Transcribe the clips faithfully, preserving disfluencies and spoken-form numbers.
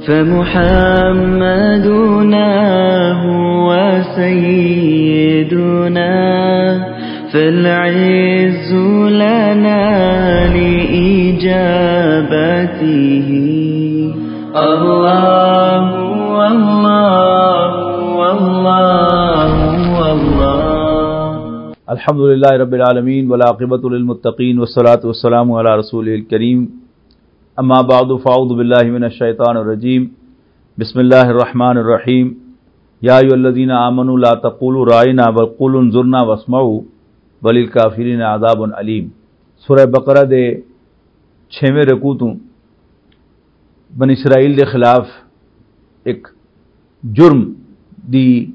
فمحمدنا هو سيدنا، فالعز لنا لإجابته. الله، الله، الله، الله. الحمد لله رب العالمين، والعاقبة للمتقين، والصلاة والسلام على رسوله الكريم. أما بعد، فأعوذ بالله من الشيطان الرجيم. بسم الله الرحمن الرحيم. يا أيها الذين آمنوا لا تقولوا راعنا وقولوا انظرنا واسمعوا وللكافرين عذاب أليم. سورہ بقرہ دے چھویں رکوع توں بنی اسرائیل دے خلاف ایک جرم دی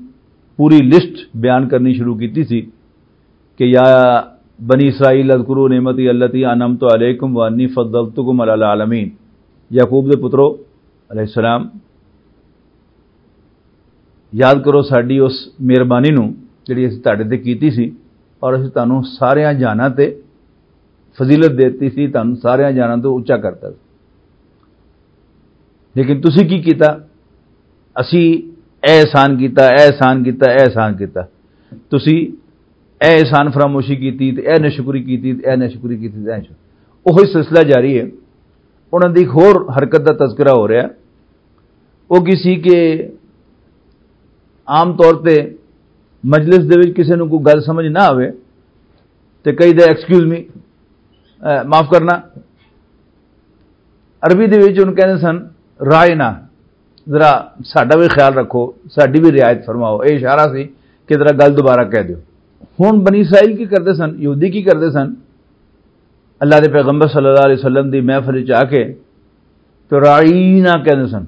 پوری لسٹ بیان کرنی شروع کیتی سی کہ یا بنی اسرائیل اذکروا نعمتی التی انعمت علیکم وانی فضلتکم علی العالمین۔ یعقوب دے پترو علیہ السلام، یاد کرو ساڈی اس مہربانی نو جڑی اسی تہاڈے تے کیتی سی، اور اسی تانوں ساریاں جہاناں تے فضیلت دیتی سی، تانوں ساریاں جہاناں تو اچا کرتا سی۔ لیکن تسی کی کیتا؟ اسی اے احسان کیتا، اے احسان کیتا، اے احسان کیتا۔ تسی اے احسان فراموشی کیتی تے اے نشکری کیتی تے اے نشکری کیتی تے اے نشکری۔ اوہی سلسلہ جاری ہے۔ انہاں دی ایک ہور حرکت دا تذکرہ ہو رہا ہے۔ وہ کی سی کہ عام طور تے مجلس دے وچ کسے نوں کوئی گل سمجھ نہ آوے تے کئی دے ایکسکیوز می، معاف کرنا، عربی دے وچ انہوں کہندے سن، رائے نہ، ذرا ساڈا بھی خیال رکھو، ساڈی بھی رعایت فرماؤ۔ یہ اشارہ سی کہ ذرا گل دوبارہ کہہ دیو۔ ہن بنی اسرائیل کی کردے سن، یہودی کی کردے سن؟ اللہ دے پیغمبر صلی اللہ علیہ وسلم دی محفل وچ آ کے تو راعینا کہندے سن۔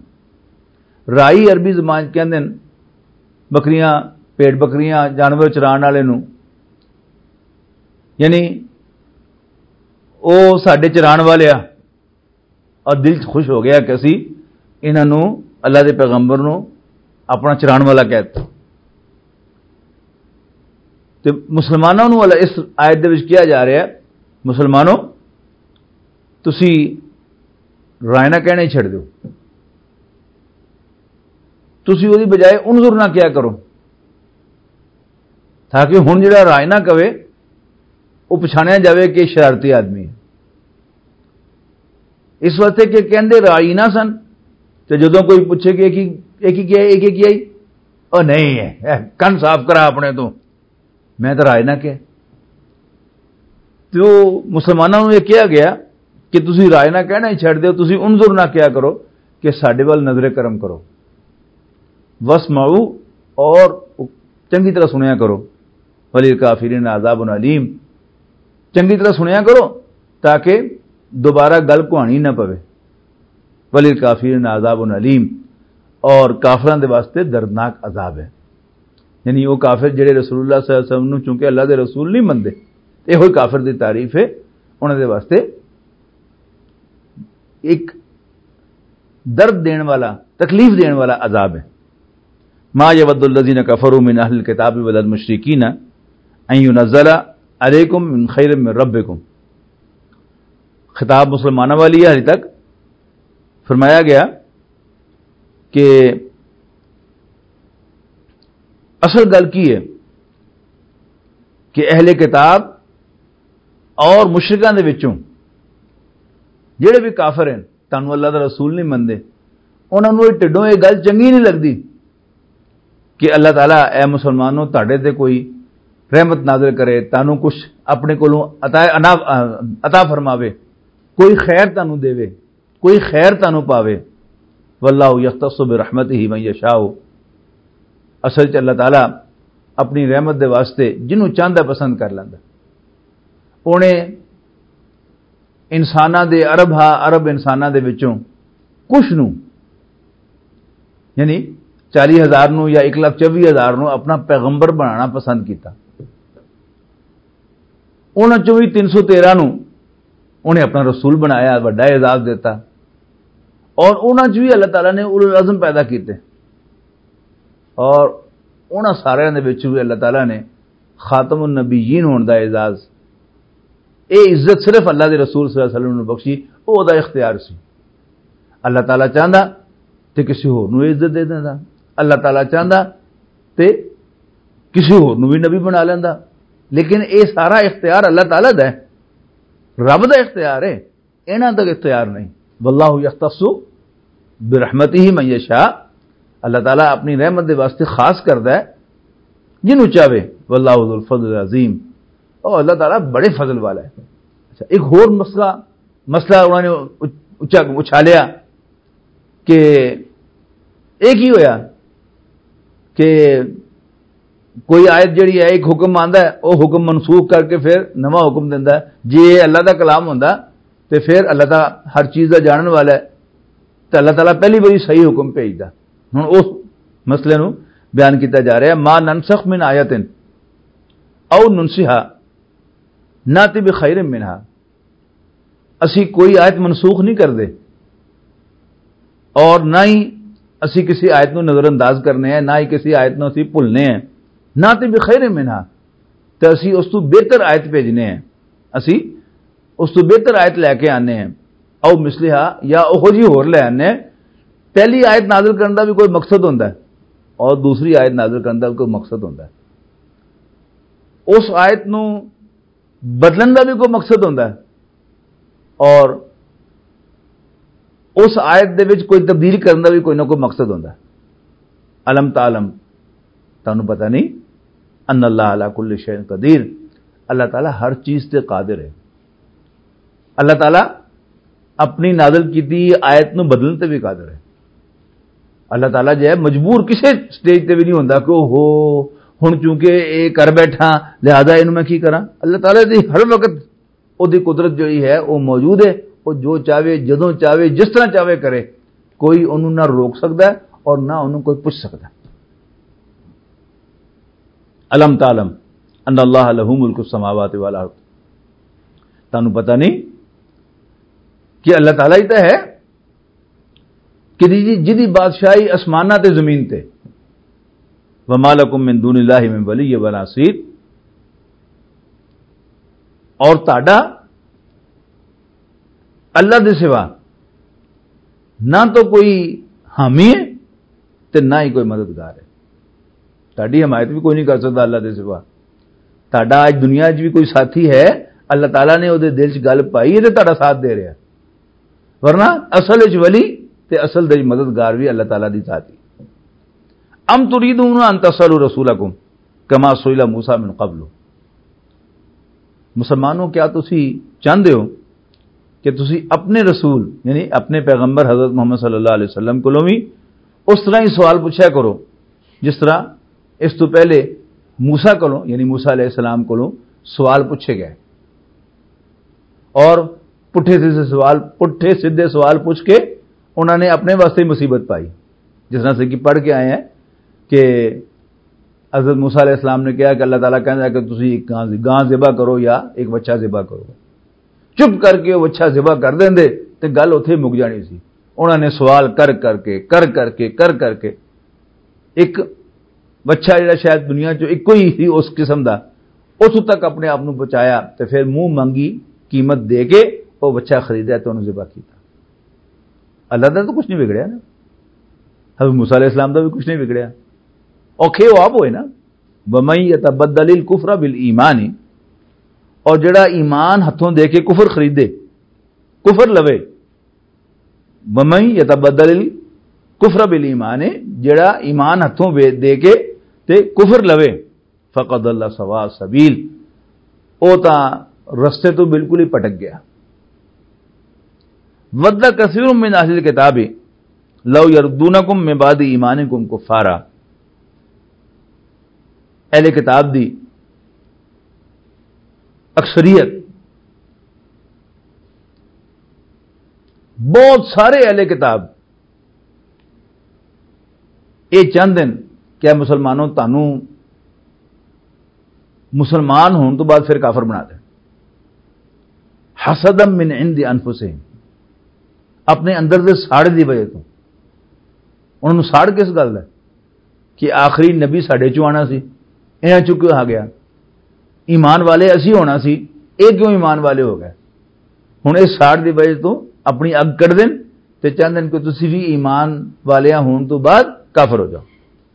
راعی عربی زبان چ کہندے نے بکریاں، پیٹ بکریاں، جانور چران والے نوں۔ یعنی او ساڈے چران والے آ، اور دل چ خوش ہو گیا کہ اسی انہاں نوں، اللہ دے پیغمبر نوں اپنا چران والا کہہ دتا۔ تے مسلماناں نوں اللہ اس آیت دے وچ کیا جا رہا ہے، مسلمانوں، تسی رائے نہ کہنے ہی چھڈ دیو۔ تسی وہدی بجائے انظر نہ کیا کرو، تاکہ ہن جڑا رائے نہ کہے، وہ پچھانیا جاوے کہ شرارتی آدمی ہے۔ اس واسطے کہ کہندے رائی نہ سن، تے جدوں کوئی پوچھے کہ یہ کی، یہ کی کیا ہے، یہ کی کیا ہے؟ او نہیں ہے، اے کن صاف کرا اپنے تو، میں تو رائے نہ کہہ۔ تو مسلمانوں نوں یہ کہا گیا کہ تسی رائے نہ کہنا ہی چھڈ دیو، تسی انظر نہ کیا کرو کہ ساڈے ول نظر کرم کرو۔ واسمعوا، اور چنگی طرح سنیا کرو۔ وللکافرین عذاب علیم، چنگی طرح سنیا کرو تاکہ دوبارہ گل کوانی نہ پوے۔ وللکافرین عذاب علیم، اور کافراں دے واسطے دردناک عذاب ہے۔ یعنی وہ کافر جڑے رسول اللہ صلی اللہ علیہ وسلم نوں چونکہ اللہ دے رسول نہیں منتے، تے ہوئی کافر دی تعریف ہے، انہاں دے واسطے ایک درد دین والا، تکلیف دین والا عذاب ہے۔ ما یود الذین کفروا من اہل الکتاب ولا المشرکین ان ینزل علیکم من خیر من ربکم۔ خطاب مسلمانوں والی ہے۔ حالی تک فرمایا گیا کہ اصل گل کی ہے کہ اہل کتاب اور مشرکاں دے وچوں جڑے بھی کافر ہیں، تانوں اللہ دا رسول نہیں منتے، انہاں نوں ٹڈوں یہ گل چنگی نہیں لگدی کہ اللہ تعالیٰ، اے مسلمانوں، تہاڈے تے کوئی رحمت نازل کرے، تانوں کچھ اپنے کولوں عطا، عطا فرماوے، کوئی خیر تانوں دیوے، کوئی خیر تانوں پاوے۔ واللہ یختص برحمتہ من یشاء۔ اصل چ اللہ تعالیٰ اپنی رحمت دے واسطے جنوں چاہندا پسند کر لیندا۔ اونے انساناں دے، عرب ہا، عرب انساناں دے وچوں کچھ نوں، یعنی چالی ہزار نوں یا ایک لاکھ چوی ہزار نوں اپنا پیغمبر بنانا پسند کیتا۔ انہاں چوں وی تین سو تیرہ نوں انہیں اپنا رسول بنایا، وڈا اعزاز دیتا۔ اور انہاں چوں وی اللہ تعالیٰ نے اولو العزم پیدا کیتے۔ اور انہاں سارے دے وچ وی اللہ تعالیٰ نے خاتم النبیین ہون دا اعزاز، اے عزت صرف اللہ دے رسول صلی اللہ علیہ وسلم نوں بخشی، او دا اختیار سی۔ اللہ تعالیٰ چاہندا تے کسی ہور نوں عزت دے دیندا۔ اللہ تعالیٰ چاہندا تے کسی ہور نوں بھی نبی بنا لیندا۔ لیکن اے سارا اختیار اللہ تعالیٰ دا ہے، رب دا اختیار ہے، انہاں دا اختیار نہیں۔ واللہ یختص برحمتہ من یشاء، اللہ تعالیٰ اپنی رحمت دے واسطے خاص کردا ہے جنوں چاہے۔ واللہ ذو الفضل العظیم، او اللہ تعالیٰ بڑے فضل والا ہے۔ اچھا، ایک ہور مسئلہ، مسئلہ انہوں نے اچ-، اچا-، اچھالیا کہ یہ کی ہویا کہ کوئی آیت جڑی ہے، ایک حکم آندا ہے، وہ حکم منسوخ کر کے پھر نواں حکم دیندا ہے۔ جے یہ اللہ دا کلام ہوندا تے پھر اللہ تعالیٰ ہر چیز دا جانن والا ہے، تے اللہ تعالیٰ پہلی واری صحیح حکم بھیجدا۔ ہن اس مسئلے نو بیان کیتا جا رہا ہے، ما ننسخ من آیت او ننسها ناتی بخیر منها، اسی کوئی آیت منسوخ نہیں کردے اور نہ ہی اسی کسی آیت نو نظر انداز کرنے ہیں، نہ ہی کسی آیت نو اسی بھولنے ہیں۔ ناتی بخیر منها، تے اسی اس تو بہتر آیت بھیجنے ہیں، اسی اس تو بہتر آیت لے کے آنے ہیں۔ او مثلها، یا اوہو جی ہور لے آنے ہیں۔ پہلی آیت نازل کرن دا بھی کوئی مقصد ہوندا ہے اور دوسری آیت نازل کرن دا بھی کوئی مقصد ہوندا ہے۔ اس آیت نو بدلن دا بھی کوئی مقصد ہوندا ہے اور اس آیت دے وچ کوئی تبدیل کرن دا بھی کوئی نہ کوئی مقصد ہوندا ہے۔ الم تعلم، تانوں پتہ نہیں؟ ان اللہ علی کل شیء قدیر، اللہ تعالیٰ ہر چیز تے قادر ہے۔ اللہ تعالیٰ اپنی نازل کیتی آیت نو بدلن تے بھی قادر ہے۔ اللہ تعالیٰ جو ہے مجبور کسے سٹیج تے بھی نہیں ہوندا کہ او ہو، ہن چونکہ اے کر بیٹھا، لہذا اینوں میں کی کراں؟ اللہ تعالیٰ دی ہر وقت او دی قدرت جڑی ہے، او موجود ہے۔ او جو چاہے، جدوں چاہے، جس طرح چاہے کرے، کوئی اونوں نہ روک سکدا ہے اور نہ اونوں کوئی پوچھ سکدا ہے۔ الم تعلم ان اللہ لہ ملک السماوات والارض، تانوں پتہ نہیں کہ اللہ تعالیٰ ہی تو ہے کہ جی، جدی بادشاہی آسماناں تے زمین تے۔ وما لکم من دون اللہ من ولی ولا نصیر، اور تہاڈا اللہ دے سوا نہ تو کوئی حامی ہے تے نہ ہی کوئی مددگار ہے۔ تہاڈی حمایت بھی کوئی نہیں کر سکتا اللہ دے سوا۔ تہاڈا اج دنیا 'چ بھی کوئی ساتھی ہے، اللہ تعالیٰ نے او دے دل 'چ گل پائی ہے تے تہاڈا ساتھ دے رہا ہے۔ ورنہ اصل 'چ ولی تے اصل دے مددگار بھی اللہ تعالیٰ دی ذات ہی۔ ام تريدون ان تسألوا رسولكم كما سئل موسى من قبل۔ مسلمانوں، کیا تسی چاہندے ہو کہ تسی اپنے رسول، یعنی اپنے پیغمبر حضرت محمد صلی اللہ علیہ وسلم کولوں بھی اس طرح ہی سوال پوچھا کرو جس طرح اس تو پہلے موسیٰ کولوں، یعنی موسیٰ علیہ السلام کولوں سوال پوچھے گئے، اور پٹھے سیدھے سوال، پٹھے سیدھے سوال پوچھ کے انہوں نے اپنے واسطے ہی مصیبت پائی۔ جس طرح سے کہ پڑھ کے آئے ہیں کہ حضرت موسیٰ علیہ السلام نے کہا کہ اللہ تعالیٰ کہندا ہے کہ تسی ایک گاں، گاں ذبح کرو یا ایک بچہ ذبح کرو۔ چپ کر کے وہ بچہ ذبح کر دیندے تے گل اتھے ہی مک جانی سی۔ انہوں نے سوال کر کر کے، کر کر کے، کر کر کے ایک بچہ جڑا شاید دنیا چ ایک ہی سی اس قسم دا، اس تک اپنے آپ نو بچایا تے پھر منہ مانگی قیمت دے کے وہ بچہ خریدا تے انہوں ذبح کیتا۔ اللہ دا تو کچھ نہیں بگڑیا نا، حضرت موسیٰ علیہ السلام دا بھی کچھ نہیں بگڑیا۔ اوکھے وہ آپ ہوئے نا، وَمَن يَتَبَدَّلِ الْكُفْرَ بِالْإِيمَانِ، اور جڑا ایمان ہتھوں دے کے کفر خریدے، کفر لوے، وَمَن يَتَبَدَّلِ الْكُفْرَ بِالْإِيمَانِ، جڑا ایمان ہتھوں وے-، دے کے تے کفر لوے، فَقَدْ ضَلَّ سَوَاءَ السَّبِيلِ، او تاں رستے تو بالکل ہی پٹک گیا۔ وَدَّ كَثِيرٌ مِّنْ أَهْلِ الْكِتَابِ لَوْ يَرُدُّونَكُم مِّن بَعْدِ إِيمَانِكُمْ كُفَّارًا۔ اہل کتاب دی اکثریت، بہت سارے اہل کتاب یہ چاہندے ہیں کہ اے مسلمانوں، تانوں مسلمان ہون تو بعد پھر کافر بنا دے۔ حسدا من عند انفسہم، اپنے اندر دے ساڑے دی وجہ تو۔ انہوں نے ساڑ کس گل ہے؟ کہ آخری نبی ساڈے چوں آنا سی، انہاں چوں کیوں آ گیا؟ ایمان والے اسی ہونا سی، اے کیوں ایمان والے ہو گئے؟ ہن اے ساڑ دی وجہ تو اپنی اگ کڈ دین تے چاہندے نے کہ تسی بھی ایمان والیاں ہون تو بعد کافر ہو جاؤ۔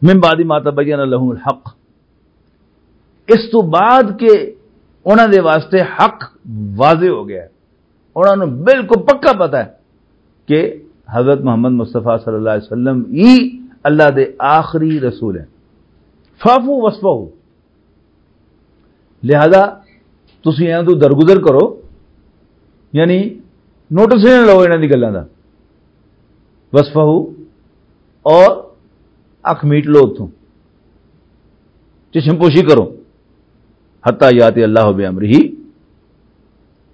من بعد ما تبین لهم الحق، اس تو بعد کہ انہاں دے واسطے حق واضح ہو گیا ہے، انہاں نوں بالکل پکا پتہ ہے کہ حضرت محمد مصطفیٰ صلی اللہ علیہ وسلم ہی اللہ دے آخری رسول ہیں۔ فاعفوا واصفحوا، لہذا تسی انہاں تو درگزر کرو، یعنی نوٹس نہ لو انہاں دی گلاں دا۔ واصفحوا، اور اکھ میٹ لو اتھوں، چشم پوشی کرو۔ حتی یاتی اللہ بامرہ،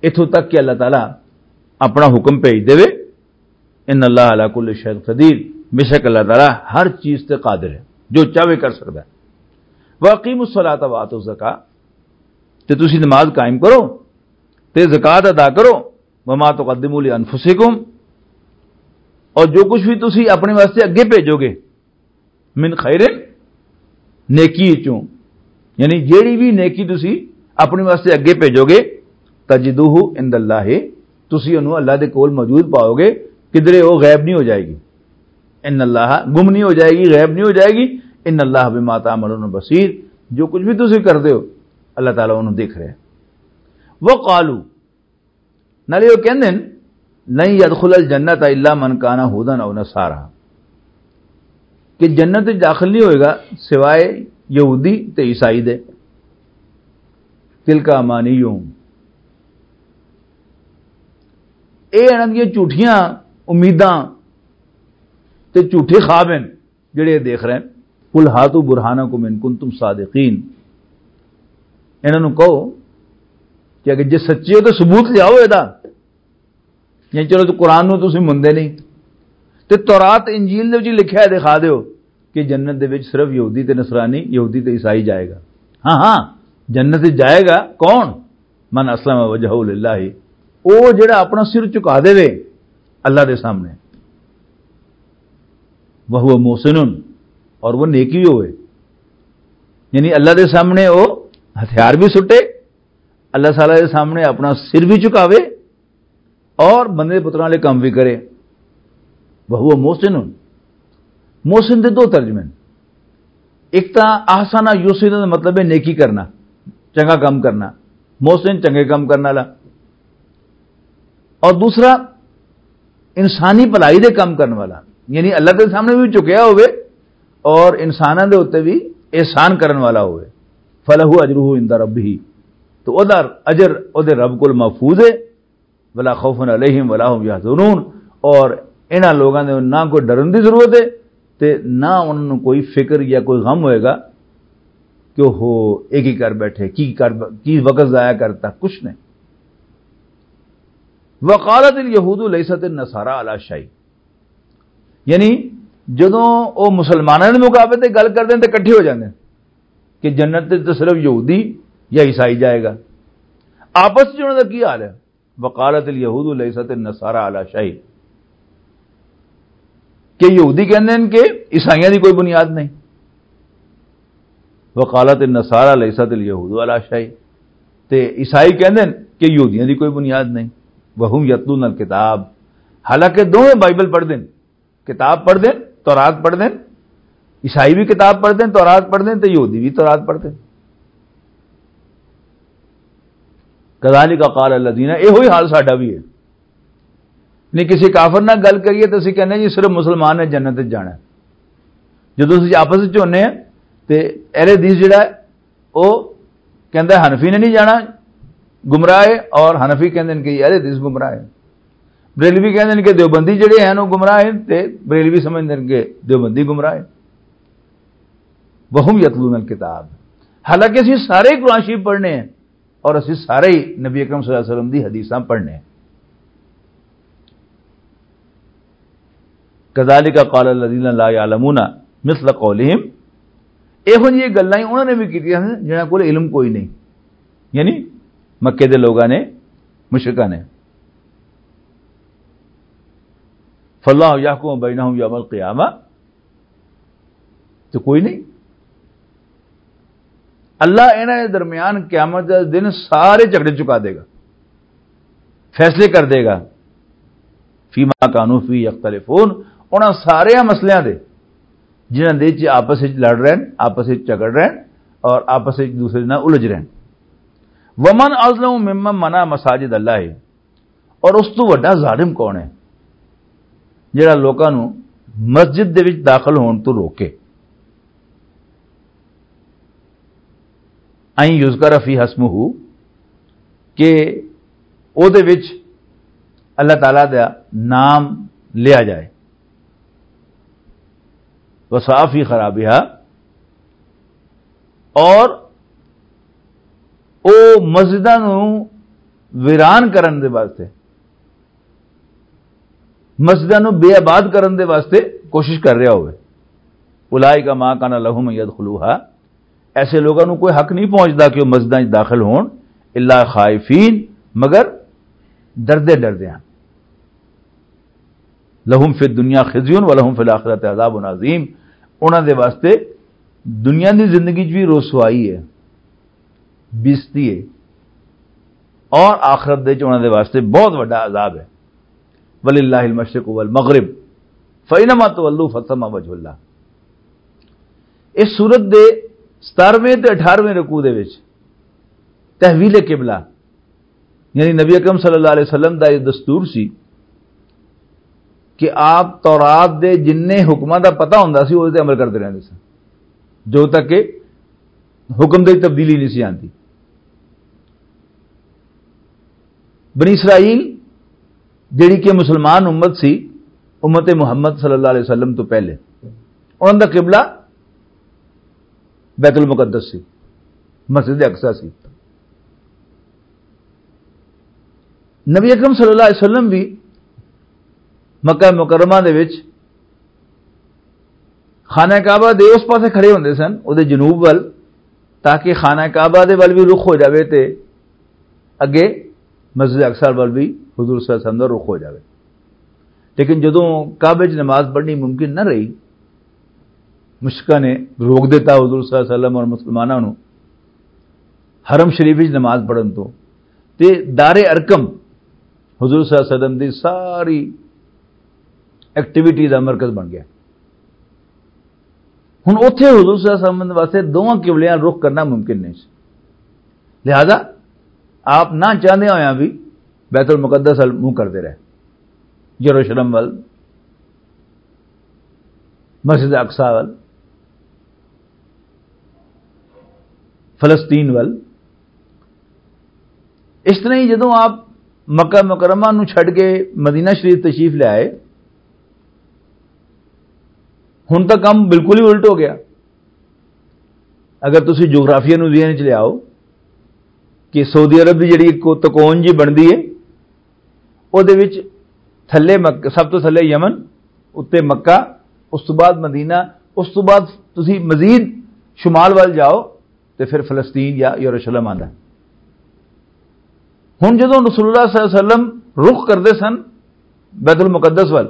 اتھوں تک کہ اللہ تعالیٰ اپنا حکم بھیج دے۔ ان اللہ علی کل شیء قدیر، بے شک اللہ تعالیٰ ہر چیز تے قادر ہے، جو چاہے کر سکتا ہے۔ واقیموا الصلاۃ وآتوا الزکاۃ، تے تسی نماز قائم کرو تے زکوٰۃ ادا کرو۔ وما تقدموا لانفسکم، اور جو کچھ بھی تسی اپنے واسطے اگے بھیجو گے، من خیر، نیکی چوں، یعنی جیڑی بھی نیکی تسی اپنے واسطے اگے بھیجو گے، تجدوہ عند اللہ، تسی انہوں اللہ دے کول موجود پاؤ گے، کدرے وہ غائب نہیں ہو جائے گی۔ ان اللہ، گم نہیں ہو جائے گی، غائب نہیں ہو جائے گی۔ ان اللہ بما تعملون بصیر، جو کچھ بھی تسی کردے ہو، اللہ تعالیٰ انہوں دیکھ رہے ہیں۔ وقالوا، نالے وہ کہندے نے، لن يدخل الجنۃ الا من کان ھودا او نصارا، کہ جنت وچ داخل نہیں ہوئے گا سوائے یہودی تے عیسائی دے۔ تلک امانیہم، اے انہاں دیاں جھوٹیاں امیداں تے جھوٹے خواب ہیں۔ جڑے دیکھ رہے ہیں۔ قل ہاتوا برہانکم ان کنتم صادقین، انہاں نوں کہو کہ اگر جے سچے ہو تو ثبوت لیاؤ اے دا۔ یعنی چلو تو قرآن نوں تسی مندے نہیں، تے تورات انجیل دے وچ لکھیا ہے، دکھا دیو کہ جنت دے وچ صرف یہودی تے نصرانی، یہودی تے عیسائی جائے گا۔ ہاں ہاں، جنت وچ جائے گا کون؟ من اسلم وجہہ للہ، او جڑا اپنا سر جھکا دے وے اللہ دے سامنے، وہو محسن، اور وہ نیکی ہوئے، یعنی اللہ دے سامنے وہ ہتھیار بھی سٹے، اللہ تعالیٰ دے سامنے اپنا سر بھی جھکاوے اور بندے پتراں والے کام بھی کرے۔ وہو محسن۔ محسن دے دو ترجمے ہیں۔ ایک تاں احسن یحسن دا مطلب ہے نیکی کرنا، چنگا کام کرنا، محسن چنگے کام کرنے والا، اور دوسرا انسانی بھلائی دے کام کرنے والا، یعنی اللہ دے سامنے بھی جھکیا ہوئے اور انساناں دے اُتے بھی احسان کرن والا ہوئے۔ فلہ اجرہ عند ربہ، تو او دا اجر او دے رب کول محفوظ ہے۔ ولا خوف علیہم ولا هم یحزنون، اور انہاں لوگاں دے نہ کوئی ڈرن دی ضرورت ہے تے نہ انہاں نوں کوئی فکر یا کوئی غم ہوئے گا کہ وہ یہ کی کر بیٹھے، کی کر، کی وقت ضائع کرتا، کچھ نہیں۔ وقالت الیہود لیست النصارى علی شیء، یعنی جدوں وہ مسلمانوں دے مقابلے تے گل کردے ہیں تے اکٹھے ہو جاندے ہیں کہ جنت تے صرف یہودی یا عیسائی جائے گا۔ آپس وچ انہاں دا کی حال ہے؟ وقالت الیہود لیست النصارى علی شیء، کہ یہودی کہندے ہیں کہ عیسائیاں دی کوئی بنیاد نہیں۔ وقالت النصارى لیست الیہود علی شیء، تے عیسائی کہندے ہیں کہ یہودیاں دی کوئی بنیاد نہیں۔ وہم یتلون الکتاب، حالانکہ دوویں بائبل پڑھ دے ہیں، کتاب پڑھ دے ہیں، تورات پڑھ دے ہیں، عیسائی بھی کتاب پڑھ دے ہیں، تورات پڑھ دے ہیں، تے یہودی بھی تورات پڑھ دے ہیں۔ کذالک قال الذین، ایہو ہی حال ساڈا بھی ہے۔ نہیں، کسی کافر نال گل کریے تو اسی کہنے جی صرف مسلمان نے جنت وچ جانا ہے۔ جدوں اسی آپس وچ ہونے ہیں تے اہل حدیث جڑا ہے، او کہندا ہے حنفی نے نہیں جانا، گمراہ ہے، اور حنفی کہندے نے کہ اہل حدیث گمراہ ہے۔ بریلوی کہندے نے کہ دیوبندی جڑے ہیں وہ گمراہ ہیں، تے بریلوی سمجھدے نے کہ دیوبندی گمراہ ہے۔ وہم یتلون الکتاب، حالانکہ اسی سارے قرآن شریف پڑھنے ہیں اور اسی سارے ہی نبی اکرم صلی اللہ علیہ وسلم دی حدیثاں پڑھنے ہیں۔ کذالک قال الذین لا یعلمون مثل قولہم، ایہو جی گلاں ہی انہوں نے بھی کیتیاں ہیں جنہاں کول علم کوئی نہیں، یعنی مکے دے لوگاں نے، مشرکاں نے۔ فاللہ یحکم بینہم یوم القیامہ، تو کوئی نہیں۔ اللہ انہاں دے درمیان قیامت دے دن سارے جھگڑے چکا دے گا، فیصلے کر دے گا۔ فیما کانوا فیہ یختلفون، انہاں سارے مسئلیاں دے جنہاں دے وچ آپس وچ لڑ رہے ہیں، آپس وچ جھگڑ رہے ہیں اور آپس وچ دوسرے نال الجھ رہے ہیں۔ ومن اظلم ممن منع مساجد اللہ، اور اس تو وڈا ظالم کون ہے جڑا لوکاں نو مسجد دے وچ داخل ہون تو روکے؟ این یذکر فی اسمہ، کہ او دے وچ اللہ تعالیٰ دا نام لیا جائے۔ وسعی فی خرابہا، اور او مسجداں نو ویران کرن دے واسطے، مسجداں نو بے آباد کرن دے واسطے کوشش کر رہا ہوئے۔ اولئک ما کان لہم ان یدخلوہا، ایسے لوگاں نو کوئی حق نہیں پہنچدا کہ وہ مسجداں وچ داخل ہون، الا خائفین، مگر ڈردے ڈردے ہیں۔ لہم فی الدنیا خزی و لہم فی الآخرۃ عذاب عظیم، انہاں دے واسطے دنیا دی زندگی وچ بھی رسوائی ہے، بےعزتی ہے، اور آخرت دے وچ انہاں دے واسطے بہت وڈا عذاب ہے۔ وللہ المشرق والمغرب، فینما تولوا فثم وجہ اللہ۔ اس سورت دے ستارویں تے اٹھارویں رکوع دے وچ تحویل قبلہ، یعنی نبی اکرم صلی اللہ علیہ وسلم دا یہ دستور سی کہ آپ تورات دے جنہیں حکماں دا پتہ ہوندا سی، اس تے عمل کردے رہندے سن، جو تک کہ حکم دی تبدیلی نہیں سی آندی۔ بنی اسرائیل جڑی کہ مسلمان امت سی، امت محمد صلی اللہ علیہ وسلم تو پہلے، انہاں دا قبلہ بیت المقدس سی، مسجد اقصی سی۔ نبی اکرم صلی اللہ علیہ وسلم بھی مکہ مکرمہ دے وچ خانہ کعبہ دے اس پاسے کھڑے ہوندے سن، او دے جنوب ول، تاکہ خانہ کعبہ دے ول بھی رخ ہو جاوے تے اگے مسجد اقصی ول بھی حضور صلی اللہ علیہ وسلم دا رخ ہو جاوے۔ لیکن جدوں کعبے 'چ نماز پڑھنی ممکن نہ رہی، مشرکاں نے روک دیتا حضور صلی اللہ علیہ وسلم اور مسلماناں نوں حرم شریف وچ نماز پڑھن تو، تے دار ارقم حضور صلی اللہ علیہ وسلم دی ساری ایکٹیویٹی دا مرکز بن گیا۔ ہن اوتھے حضور صلی اللہ علیہ وسلم واسطے دوواں قبلیاں رخ کرنا ممکن نہیں سی، لہذا آپ نہ چاہندے ہویاں بھی بیت المقدس ول منہ کردے رہے، یروشلم ول، مسجد اقصی ول، فلسطین ول۔ اس طرح ہی جدوں آپ مکہ مکرمہ نو چھڈ کے مدینہ شریف تشریف لے آئے، ہن تاں کم بالکل ہی الٹ ہو گیا۔ اگر تسی جغرافیہ نو ذہن چ لے آؤ کہ سعودی عرب دی جڑی ایک تکون جی بندی ہے، او دے وچ تھلے مک-، سب تو تھلے یمن، اُتے مکہ، اس تو بعد مدینہ، اس تو بعد تسی مزید شمال وال جاؤ تے پھر فلسطین یا یروشلم آندا ہے۔ ہن جدوں رسول اللہ صلی اللہ علیہ وسلم رخ کردے سن بیت المقدس وال،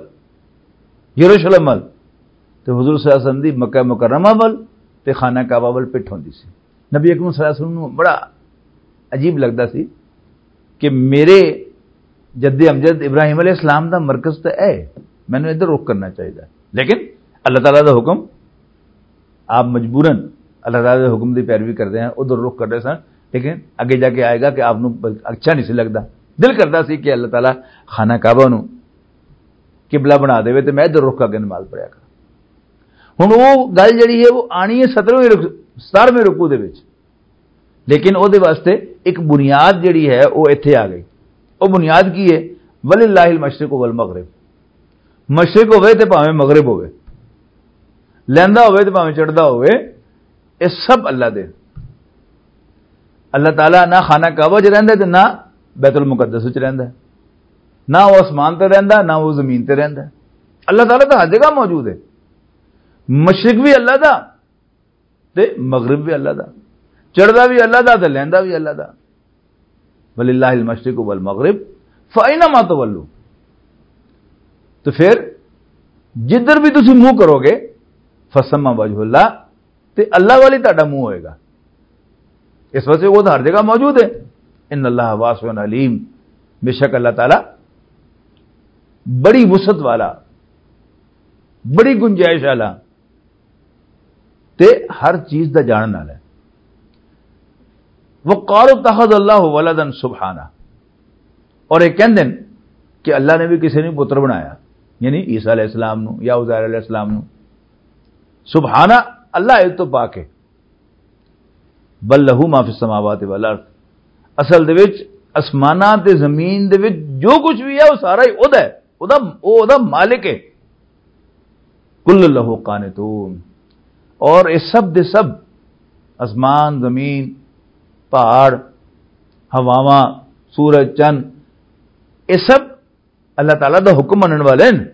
یروشلم وال، تے حضور صلی اللہ علیہ وسلم دی مکہ مکرمہ وال تے خانہ کعبہ وال پٹھ ہوندی سی۔ نبی اکرم صلی اللہ علیہ وسلم نوں بڑا عجیب لگدا سی کہ میرے جد امجد ابراہیم علیہ السلام دا مرکز تے اے، مینوں ادھر رخ کرنا چاہیدا۔ لیکن اللہ تعالیٰ دا حکم، آپ مجبوراً اللہ تعالیٰ دے حکم دی پیروی کردے ہیں، ادھر رخ کردے سن، لیکن اگے جا کے آئے گا کہ آپ نوں اچھا نہیں سی لگدا۔ دل کردا سی کہ اللہ تعالیٰ خانہ کعبہ نوں قبلہ بنا دے تے میں ادھر رخ کر کے نماز پڑھیا کراں۔ ہن وہ گل جڑی ہے، وہ آنی ہے سترویں رک-، ستارویں رکوع دے وچ، لیکن او دے واسطے ایک بنیاد جڑی ہے، وہ ایتھے آ گئی۔ وہ بنیاد کی ہے؟ وللہ المشرق والمغرب، مشرق ہوئے تے بھاویں مغرب ہوئے، لیندا ہوئے تے بھاویں چڑھدا ہوئے، یہ سب اللہ دے۔ اللہ تعالیٰ نہ خانہ کعبہ چ رہندا تے نہ بیت المقدس وچ رہندا، نہ وہ آسمان تے رہندا، نہ وہ زمین تے رہندا۔ اللہ تعالیٰ تو ہر جگہ موجود ہے۔ مشرق بھی اللہ دا تے مغرب بھی اللہ دا، چڑھدا بھی اللہ دا تے لیندا بھی اللہ دا۔ وللہ المشرق والمغرب فأینما تولوا۔ تو پھر جدھر بھی تسی منہ کرو گے، فثم وجہ اللہ، تے اللہ والی تہاڈا منہ ہوئے گا۔ اس واسطے وہ تو ہر جگہ موجود ہے۔ ان اللہ واسع علیم، بے شک اللہ تعالیٰ بڑی وسعت والا، بڑی گنجائش والا، تے ہر چیز دا جانن والا ہے۔ وقالوا اتخذ اللہ ولدا سبحانہ، اور یہ کہندے نے کہ اللہ نے بھی کسی نے پتر بنایا، یعنی عیسیٰ علیہ السلام نو یا عزیر علیہ السلام نو۔ سبحانہ، اللہ اس تو پاک ہے۔ بل لہ ما فی السماوات والارض، اصل دے وچ آسماناں تے زمین دے وچ جو کچھ بھی ہے، وہ سارا ہی اودا ہے، اودا، او اودا مالک ہے۔ کل لہ قانتون، اور یہ سب دے سب، آسمان، زمین، پہاڑ، ہواواں، سورج، چند، یہ سب اللہ تعالیٰ دا حکم منن والے ہیں۔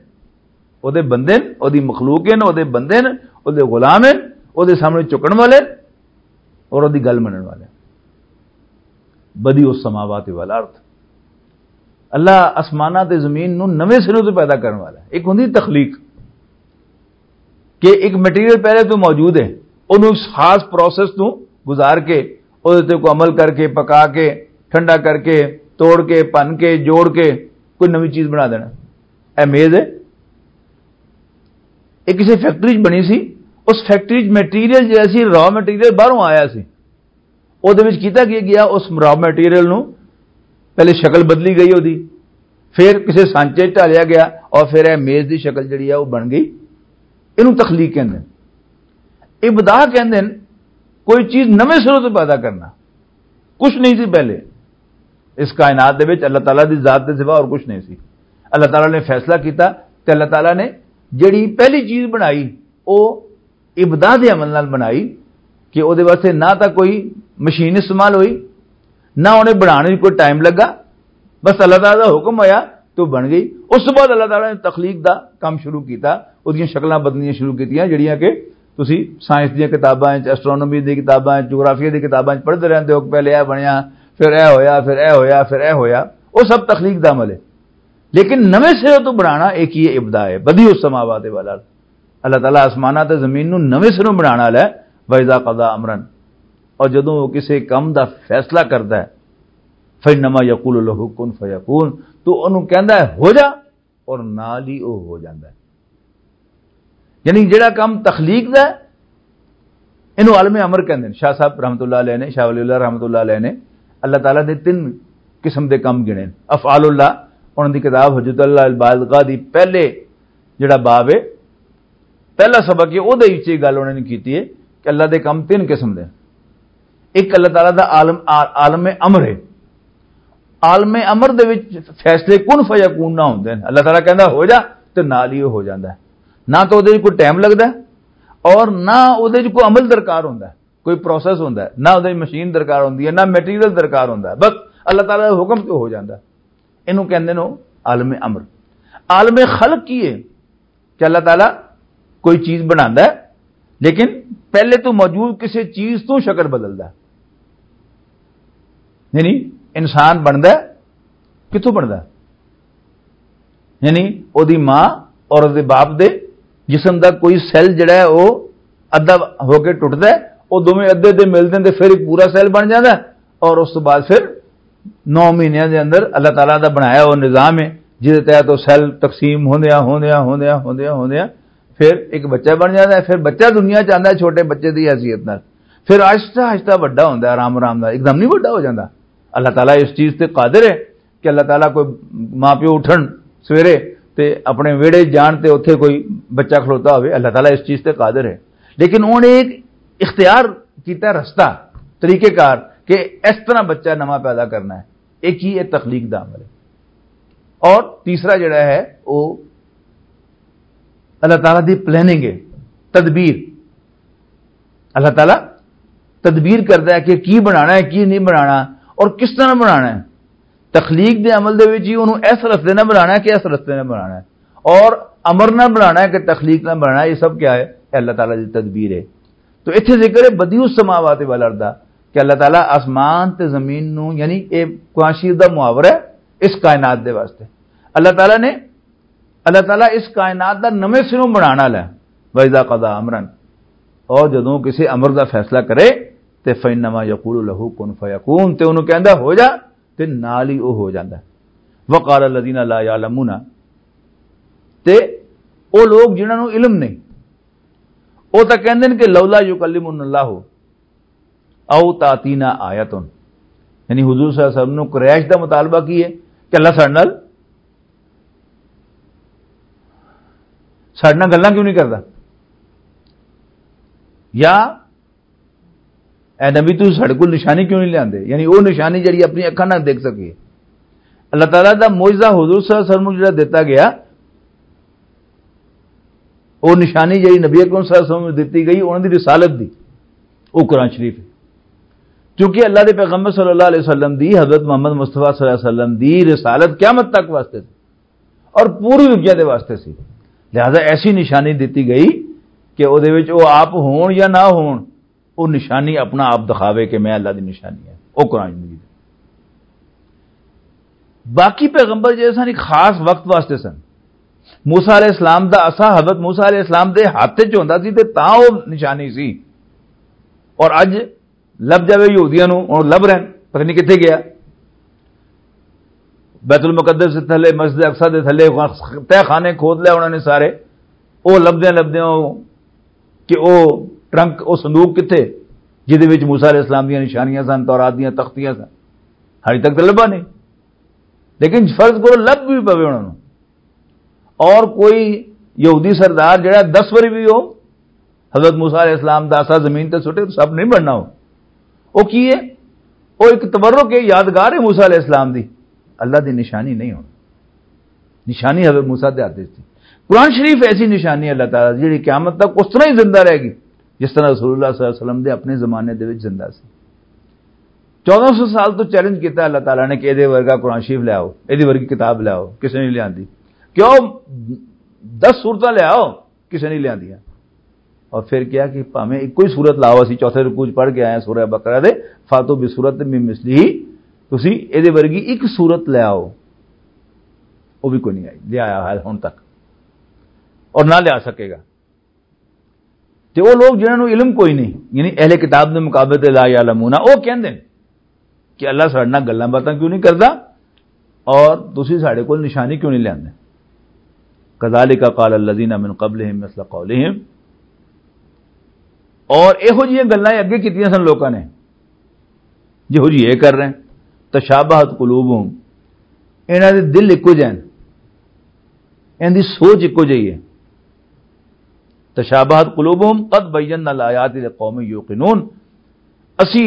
او دے بندے ہیں، او دی مخلوق ہیں، او دے بندے ہیں، او دے غلام ہیں، او دے سامنے چکن والے ہیں اور او دی گل منن والے ہیں۔ بدیع السماوات والارض، اللہ آسماناں تے زمین نو نویں سروں تے پیدا کرن والا ہے۔ ایک ہوندی تخلیق، کہ ایک مٹیریل پہلے تو موجود ہے، انہوں اس خاص پروسیس تو گزار کے، اس تے کو عمل کر کے، پکا کے، ٹھنڈا کر کے، توڑ کے، پن کے، جوڑ کے کوئی نویں چیز بنا دینا۔ اے میز ہے، یہ کسی فیکٹری چ بنی سی، اس فیکٹری چ مٹیریل جیسا سی، را مٹیریل باہروں آیا سی، او دے وچ کیتا کی گیا؟ اس را مٹیریل نو پہلے شکل بدلی گئی او دی، پھر کسے سانچے چ ڈالیا گیا اور پھر اے میز دی شکل جڑی ہے او بن گئی۔ اینوں تخلیق کہندے نے، ابداع کہندے نے۔ کوئی چیز نویں سروں تو پیدا کرنا، کچھ نہیں سی پہلے۔ اس کائنات دے وچ اللہ تعالیٰ دی ذات دے سوا اور کچھ نہیں سی۔ اللہ تعالیٰ نے فیصلہ کیتا تے اللہ تعالیٰ نے جڑی پہلی چیز بنائی، او ابداع دے عمل نال بنائی، کہ او دے واسطے نہ تاں کوئی مشین استعمال ہوئی، نہ انہیں بنانے کوئی ٹائم لگا، بس اللہ تعالیٰ دا حکم آیا تو بن گئی۔ اس تو بعد اللہ تعالیٰ نے تخلیق دا کام شروع کیتا، اس دیاں شکلاں بدلنیاں شروع کیتیاں، جڑیاں کہ تسی سائنس دیاں کتاباں وچ، ایسٹرونومی دی کتاباں وچ، جغرافیہ دی کتاباں وچ پڑھدے رہندے ہو کہ پہلے اے بنیا، پھر اے ہویا، پھر اے ہویا، پھر اے ہویا۔ او سب تخلیق دا عمل ہے۔ لیکن نویں سرے تو بنانا ایک ہی ابداع ہے، بدیع السماوات والارض۔ اللہ تعالیٰ آسماناں تے زمین نوں نویں سروں بنانا والا ہے۔ وَإِذَا قَضَى أَمْرًا، اور جدوں وہ کسی کم دا فیصلہ کردا ہے، فَإِنَّمَا يَقُولُ لَهُ كُن فَيَكُونُ، تو انہوں کہندا ہے، "ہو جا"، اور نال ہی وہ ہو جاندا ہے۔ یعنی جڑا کم تخلیق دا ہے، اینو عالم امر کہندے نے۔ شاہ صاحب رحمۃ اللہ علیہ نے، شاہ ولی اللہ رحمۃ اللہ علیہ نے اللہ تعالیٰ دے تین قسم دے کم گنے۔ افعال اللہ، انہاں دی کتاب حجت اللہ البالغہ دی پہلے جڑا باب ہے، پہلا سبق ہے، او دے وچ یہ گل انہاں نے کیتی ہے کہ اللہ دے کم تین قسم دے۔ ایک اللہ تعالیٰ دا عالم، عا-، عالم امر ہے۔ عالم امر دے وچ فیصلے کن فیکون نہ ہوندے نے۔ اللہ تعالیٰ کہندا، "ہو جا"، تے نال ہی وہ ہو جاندا ہے۔ نہ تو اودے وچ کوئی ٹائم لگدا ہے اور نہ اودے وچ کوئی عمل درکار ہوندا ہے، کوئی پروسیس ہوندا ہے، نہ اودے وچ مشین درکار ہوندی ہے، نہ میٹیریل درکار ہوندا ہے، بس اللہ تعالیٰ دے حکم تے ہو جاندا ہے۔ اینوں کہندے نے عالم امر۔ عالم خلق کی ہے؟ کہ اللہ تعالیٰ کوئی چیز بناندا ہے، لیکن پہلے تو موجود کسی چیز تو شکل بدلدا ہے۔ یعنی انسان بندا ہے، کتھوں بندا ہے؟ یعنی او دی ماں اور او دے باپ دے جسم دا کوئی سیل جڑا ہے، او ادھا ہو کے ٹوٹدا ہے، او دوویں ادھے ادھے ملدے نے تے پھر ایک پورا سیل بن جاندا ہے، اور اس تو بعد پھر نو مہینے دے اندر اللہ تعالیٰ دا بنایا وہ نظام ہے، جس دے تحت وہ سیل تقسیم ہوندیاں، ہوندیاں، ہوندیاں، ہوندیاں، ہوندیاں، پھر ایک بچہ بن جاتا ہے۔ پھر بچہ دنیا چ آندا ہے چھوٹے بچے دی حیثیت نال، پھر آہستہ آہستہ وڈا ہوندا ہے، آرام آرام نال، ایک دم نہیں وڈا ہو جاندا۔ اللہ تعالیٰ اس چیز تے قادر ہے کہ اللہ تعالیٰ کوئی ماں پیو اٹھن سویرے تے اپنے ویڑے جان تے اوتھے کوئی بچہ کھلوتا ہوئے، اللہ تعالیٰ اس چیز تے قادر ہے۔ لیکن انہوں نے ایک اختیار کیتا رستہ، طریقہ کار کہ اس طرح بچہ نواں پیدا کرنا ہے۔ ایک ہی یہ تخلیق دا عمل ہے۔ اور تیسرا جڑا ہے، وہ اللہ تعالیٰ دی پلاننگ ہے، تدبیر۔ اللہ تعالیٰ تدبیر کردا ہے کہ کی بنانا ہے، کی نہیں بنانا، اور کس طرح بنانا ہے۔ تخلیق دے عمل دے وچ ہی انہوں اس رستے نہ بنانا ہے کہ اس رستے نہ بنانا ہے، اور امر نہ بنانا ہے کہ تخلیق نہ بنانا ہے۔ یہ سب کیا ہے؟ یہ اللہ تعالیٰ دی تدبیر ہے۔ تو اتھے ذکر ہے بدیع السماوات والارض دا، کہ اللہ تعالیٰ آسمان تے زمین نو، یعنی اے قرآن شریف دا محاورہ ہے اس کائنات دے واسطے۔ اللہ تعالیٰ نے، اللہ تعالیٰ اس کائنات دا نویں سروں بنانا لے۔ وَإِذَا قَضَى أَمْرًا، اور جدوں کسی امر دا فیصلہ کرے، تے فَإِنَّمَا يَقُولُ لَهُ كُن فَيَكُونُ، تے انہوں کہندا، "ہو جا"، تے نال ہی وہ ہو جاندا ہے۔ وَقَالَ الَّذِينَ لَا يَعْلَمُونَ، تے او لوگ جنہاں نوں علم نہیں، او تاں کہندے نے کہ لولا یکلمنا اللہ او تاتینا آیتن، یعنی حضور صلی اللہ علیہ وسلم نوں قریش دا مطالبہ کی ہے کہ اللہ ساڈے نال، ساڈے نال گلاں کیوں نہیں کردا؟ یا اے نبی، تسی ساڈے کول نشانی کیوں نہیں لیاندے؟ یعنی او نشانی جڑی اپنی اکھاں نال دیکھ سکیے۔ اللہ تعالیٰ دا معجزہ حضور صلی اللہ علیہ وسلم نوں جڑا دتا گیا، او نشانی جڑی نبی اکرم صلی اللہ علیہ وسلم نوں دتی گئی، انہاں دی رسالت دی، او قرآن شریف ہے۔ کیونکہ اللہ دے پیغمبر صلی اللہ علیہ وسلم دی، حضرت محمد مصطفیٰ صلی اللہ علیہ وسلم دی رسالت قیامت تک واسطے سی اور پوری دنیا دے واسطے سی۔ لہذا ایسی نشانی دتی گئی کہ او دے وچ او آپ ہون یا نہ ہون، او نشانی اپنا آپ دکھاوے کہ میں اللہ دی نشانی ہے۔ او قرآن مجید۔ باقی پیغمبر جڑے سن، ایک خاص وقت واسطے سن۔ موسیٰ علیہ السلام دا عصا حضرت موسیٰ علیہ السلام دے ہاتھ وچ ہوندا سی تے تاں او نشانی سی۔ اور اج لب جاوے یہودیاں نوں، ہن لب رہن، پتہ نہیں کتھے گیا۔ بیت المقدس دے تھلے، مسجد اقصی دے تھلے تہہ خانے کھود لے انہاں نے سارے۔ او لبدیاں لبدیاں او کہ او ٹرنک، او صندوق کتھے، جدے وچ موسیٰ علیہ السلام دیاں نشانیاں سن، تورات دیاں تختیاں سن، ہالی تک تے لبھا نہیں۔ لیکن فرض کرو لب بھی پوے انہاں نوں، اور کوئی یہودی سردار جڑا دس واری بھی ہو، حضرت موسیٰ علیہ السلام دا عصا زمین تے سٹے تو سب نہیں بننا ہو۔ او کی ہے؟ او ایک تبرک ہے، یادگار ہے موسیٰ علیہ السلام دی۔ اللہ دی نشانی نہیں ہونی۔ نشانی حضرت موسیٰ دے ہاتھ وچ تھی۔ قرآن شریف ایسی نشانی ہے اللہ تعالیٰ دی، جڑی قیامت تک اس طرح ہی زندہ رہے گی، جس طرح رسول اللہ صلی اللہ علیہ وسلم دے اپنے زمانے دے وچ زندہ سی۔ چودہ سو سال تو چیلنج کیتا اللہ تعالیٰ نے کہ ایدے ورگا قرآن شریف لے آؤ، ایدی ورگی کتاب لے آؤ، کسے نہیں لیاندی۔ کیوں؟ دس صورتاں لے آؤ، کسے نہیں لیاندیاں۔ اور پھر کیا کہ بھاویں ایک کوئی صورت لاؤ، اسی چوتھے رکوع چ پڑھ کے آئے ہیں سورہ بقرہ دے، فاتو بسورۃ من مثلہ، تسی ایدے ورگی ایک صورت لے آؤ۔ وہ بھی کوئی نہیں آئی، لے آیا ہے ہن تک، اور نہ لیا سکے گا۔ تے او لوگ جنہاں نوں علم کوئی نہیں، یعنی اہل کتاب دے مقابلے تے لا یعلمون، او کہندے نے کہ اللہ ساڈے نال گلاں باتاں کیوں نہیں کردا اور تسی ساڈے کول نشانی کیوں نہیں لیاندے؟ کذالک قال الذین من قبلہم مثل قولہم، اور ایہو جیاں گلاں اگے کیتیاں سن لوکاں نے، جہو جی یہ کر رہے ہیں۔ تشابہت قلوبہم، انہاں دے دل اکو جہے ہیں، انہاں دی سوچ اکو جہی ہے۔ تشابہت قلوبہم قد بینا الآیات لقوم یوقنون، اسی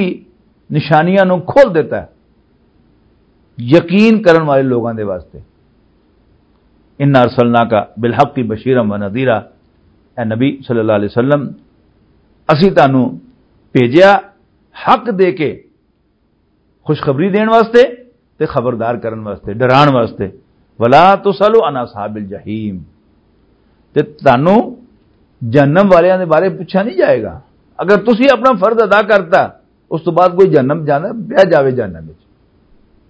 نشانیاں نو کھول دیتا ہے یقین کرن والے لوگاں دے واسطے۔ ان ارسلناک بالحق بشیرا و نذیرا، اے نبی صلی اللہ علیہ وسلم، اسی تانوں بھیجیا حق دے کے، خوشخبری دین واسطے تے خبردار کرن واسطے، ڈران واسطے۔ ولا تسألوا عن اصحاب الجحیم، تے تانوں جہنم والیاں دے بارے پوچھا نہیں جائے گا۔ اگر تسی اپنا فرض ادا کرتا، اس تو بعد کوئی جہنم جانا پیا جاوے جہنم وچ،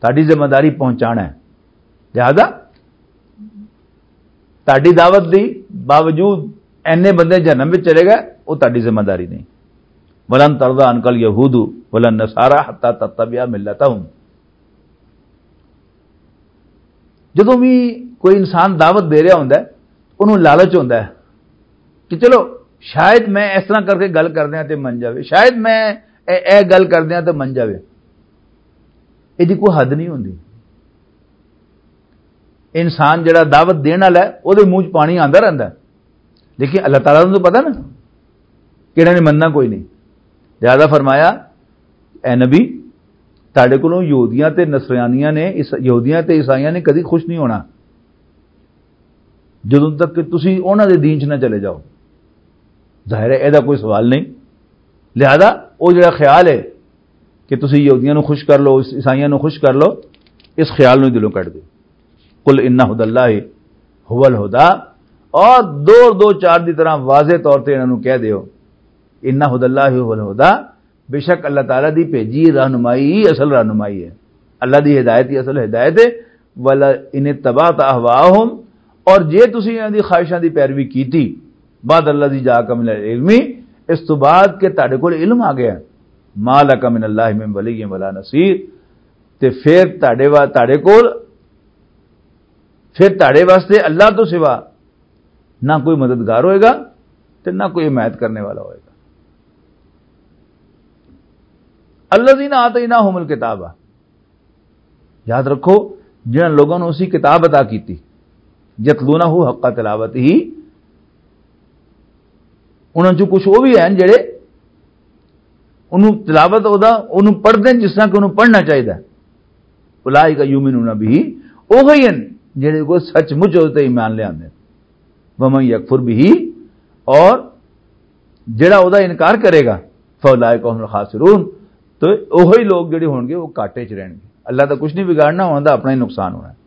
تہاڈی ذمہ داری پہنچانا ہے۔ لہذا تہاڈی دعوت دی باوجود اینے بندے جہنم وچ چلے گئے، وہ تہاڈی ذمہ داری نہیں۔ ولن ترضى عنك اليهود ولا النصارى حتى تتبع ملتهم۔ جدوں بھی کوئی انسان دعوت دے رہا ہوندا ہے، انہوں لالچ ہوندا ہے کہ چلو شاید میں اس طرح کر کے گل کر دیاں تے من جاوے، شاید میں اے، اے گل کر دیاں تے من جاوے۔ ایہدی کوئی حد نہیں ہوندی۔ انسان جڑا دعوت دین والا ہے، اودے منہ چ پانی آندا رہندا ہے، لیکن اللہ تعالیٰ نوں تو پتہ نا کہڑے نے مننا کوئی نہیں۔ لہذا فرمایا، اے نبی، تہاڈے کولوں یہودیاں تے نصرانیاں نے، اس، یہودیاں تے عیسائیاں نے کدی خوش نہیں ہونا، جدوں تک کہ تسی انہاں دے دین چ نہ چلے جاؤ۔ ظاہر ہے، ایہدا کوئی سوال نہیں۔ لہذا، او جڑا خیال ہے کہ تسی یہودیاں نوں خوش کر لو، اس، عیسائیاں نوں خوش کر لو، اس خیال نوں دلوں کڈ دے۔ قل ان ہدی اللہ هو الہدی، اور دو دو چار دی طرح واضح طور تے انہاں نوں کہہ دیو، ان ہدی اللہ هو الہدی، بے شک اللہ تعالیٰ دی بھیجی رہنمائی ہی اصل رہنمائی ہے۔ اللہ دی ہدایت ہی اصل ہدایت ہے۔ ولا ان اتبعت اہواءہم، اور جے تسی انہاں دی خواہشاں دی پیروی کیتی، بعد الذی جاءک من العلم، اس تو بعد کہ تہاڈے کول علم آ گیا، ما لک من اللہ من ولی ولا نصیر، تے پھر تہاڈے وا-، تہاڈے کول، پھر تہاڈے واسطے اللہ تو سوا نہ کوئی مددگار ہوئے گا، تے نہ کوئی حمایت کرنے والا ہوئے گا۔ الذین آتیناہم الکتاب، یاد رکھو، جنہاں لوگوں نوں اسی کتاب عطا کیتی، یتلونہ حق تلاوتہ، انہاں چوں کچھ وہ بھی ہیں جڑے انہوں تلاوت ہودا، انہوں پڑھدے ہیں جس طرح کہ انہوں پڑھنا چاہیدا ہے۔ اولئک یؤمنون بہ، اوہی ہیں جڑے کو سچ مچ اس تے ایمان لے آندے ہیں۔ ومن یکفر بہ، اور جڑا اودا انکار کرے گا، فاولئک هم الخاسرون، تو اوہی لوگ جڑے ہون گے وہ گھاٹے چ رہن گے۔ اللہ دا کچھ نہیں بگاڑنا، انہاں دا اپنا ہی نقصان ہونا ہے۔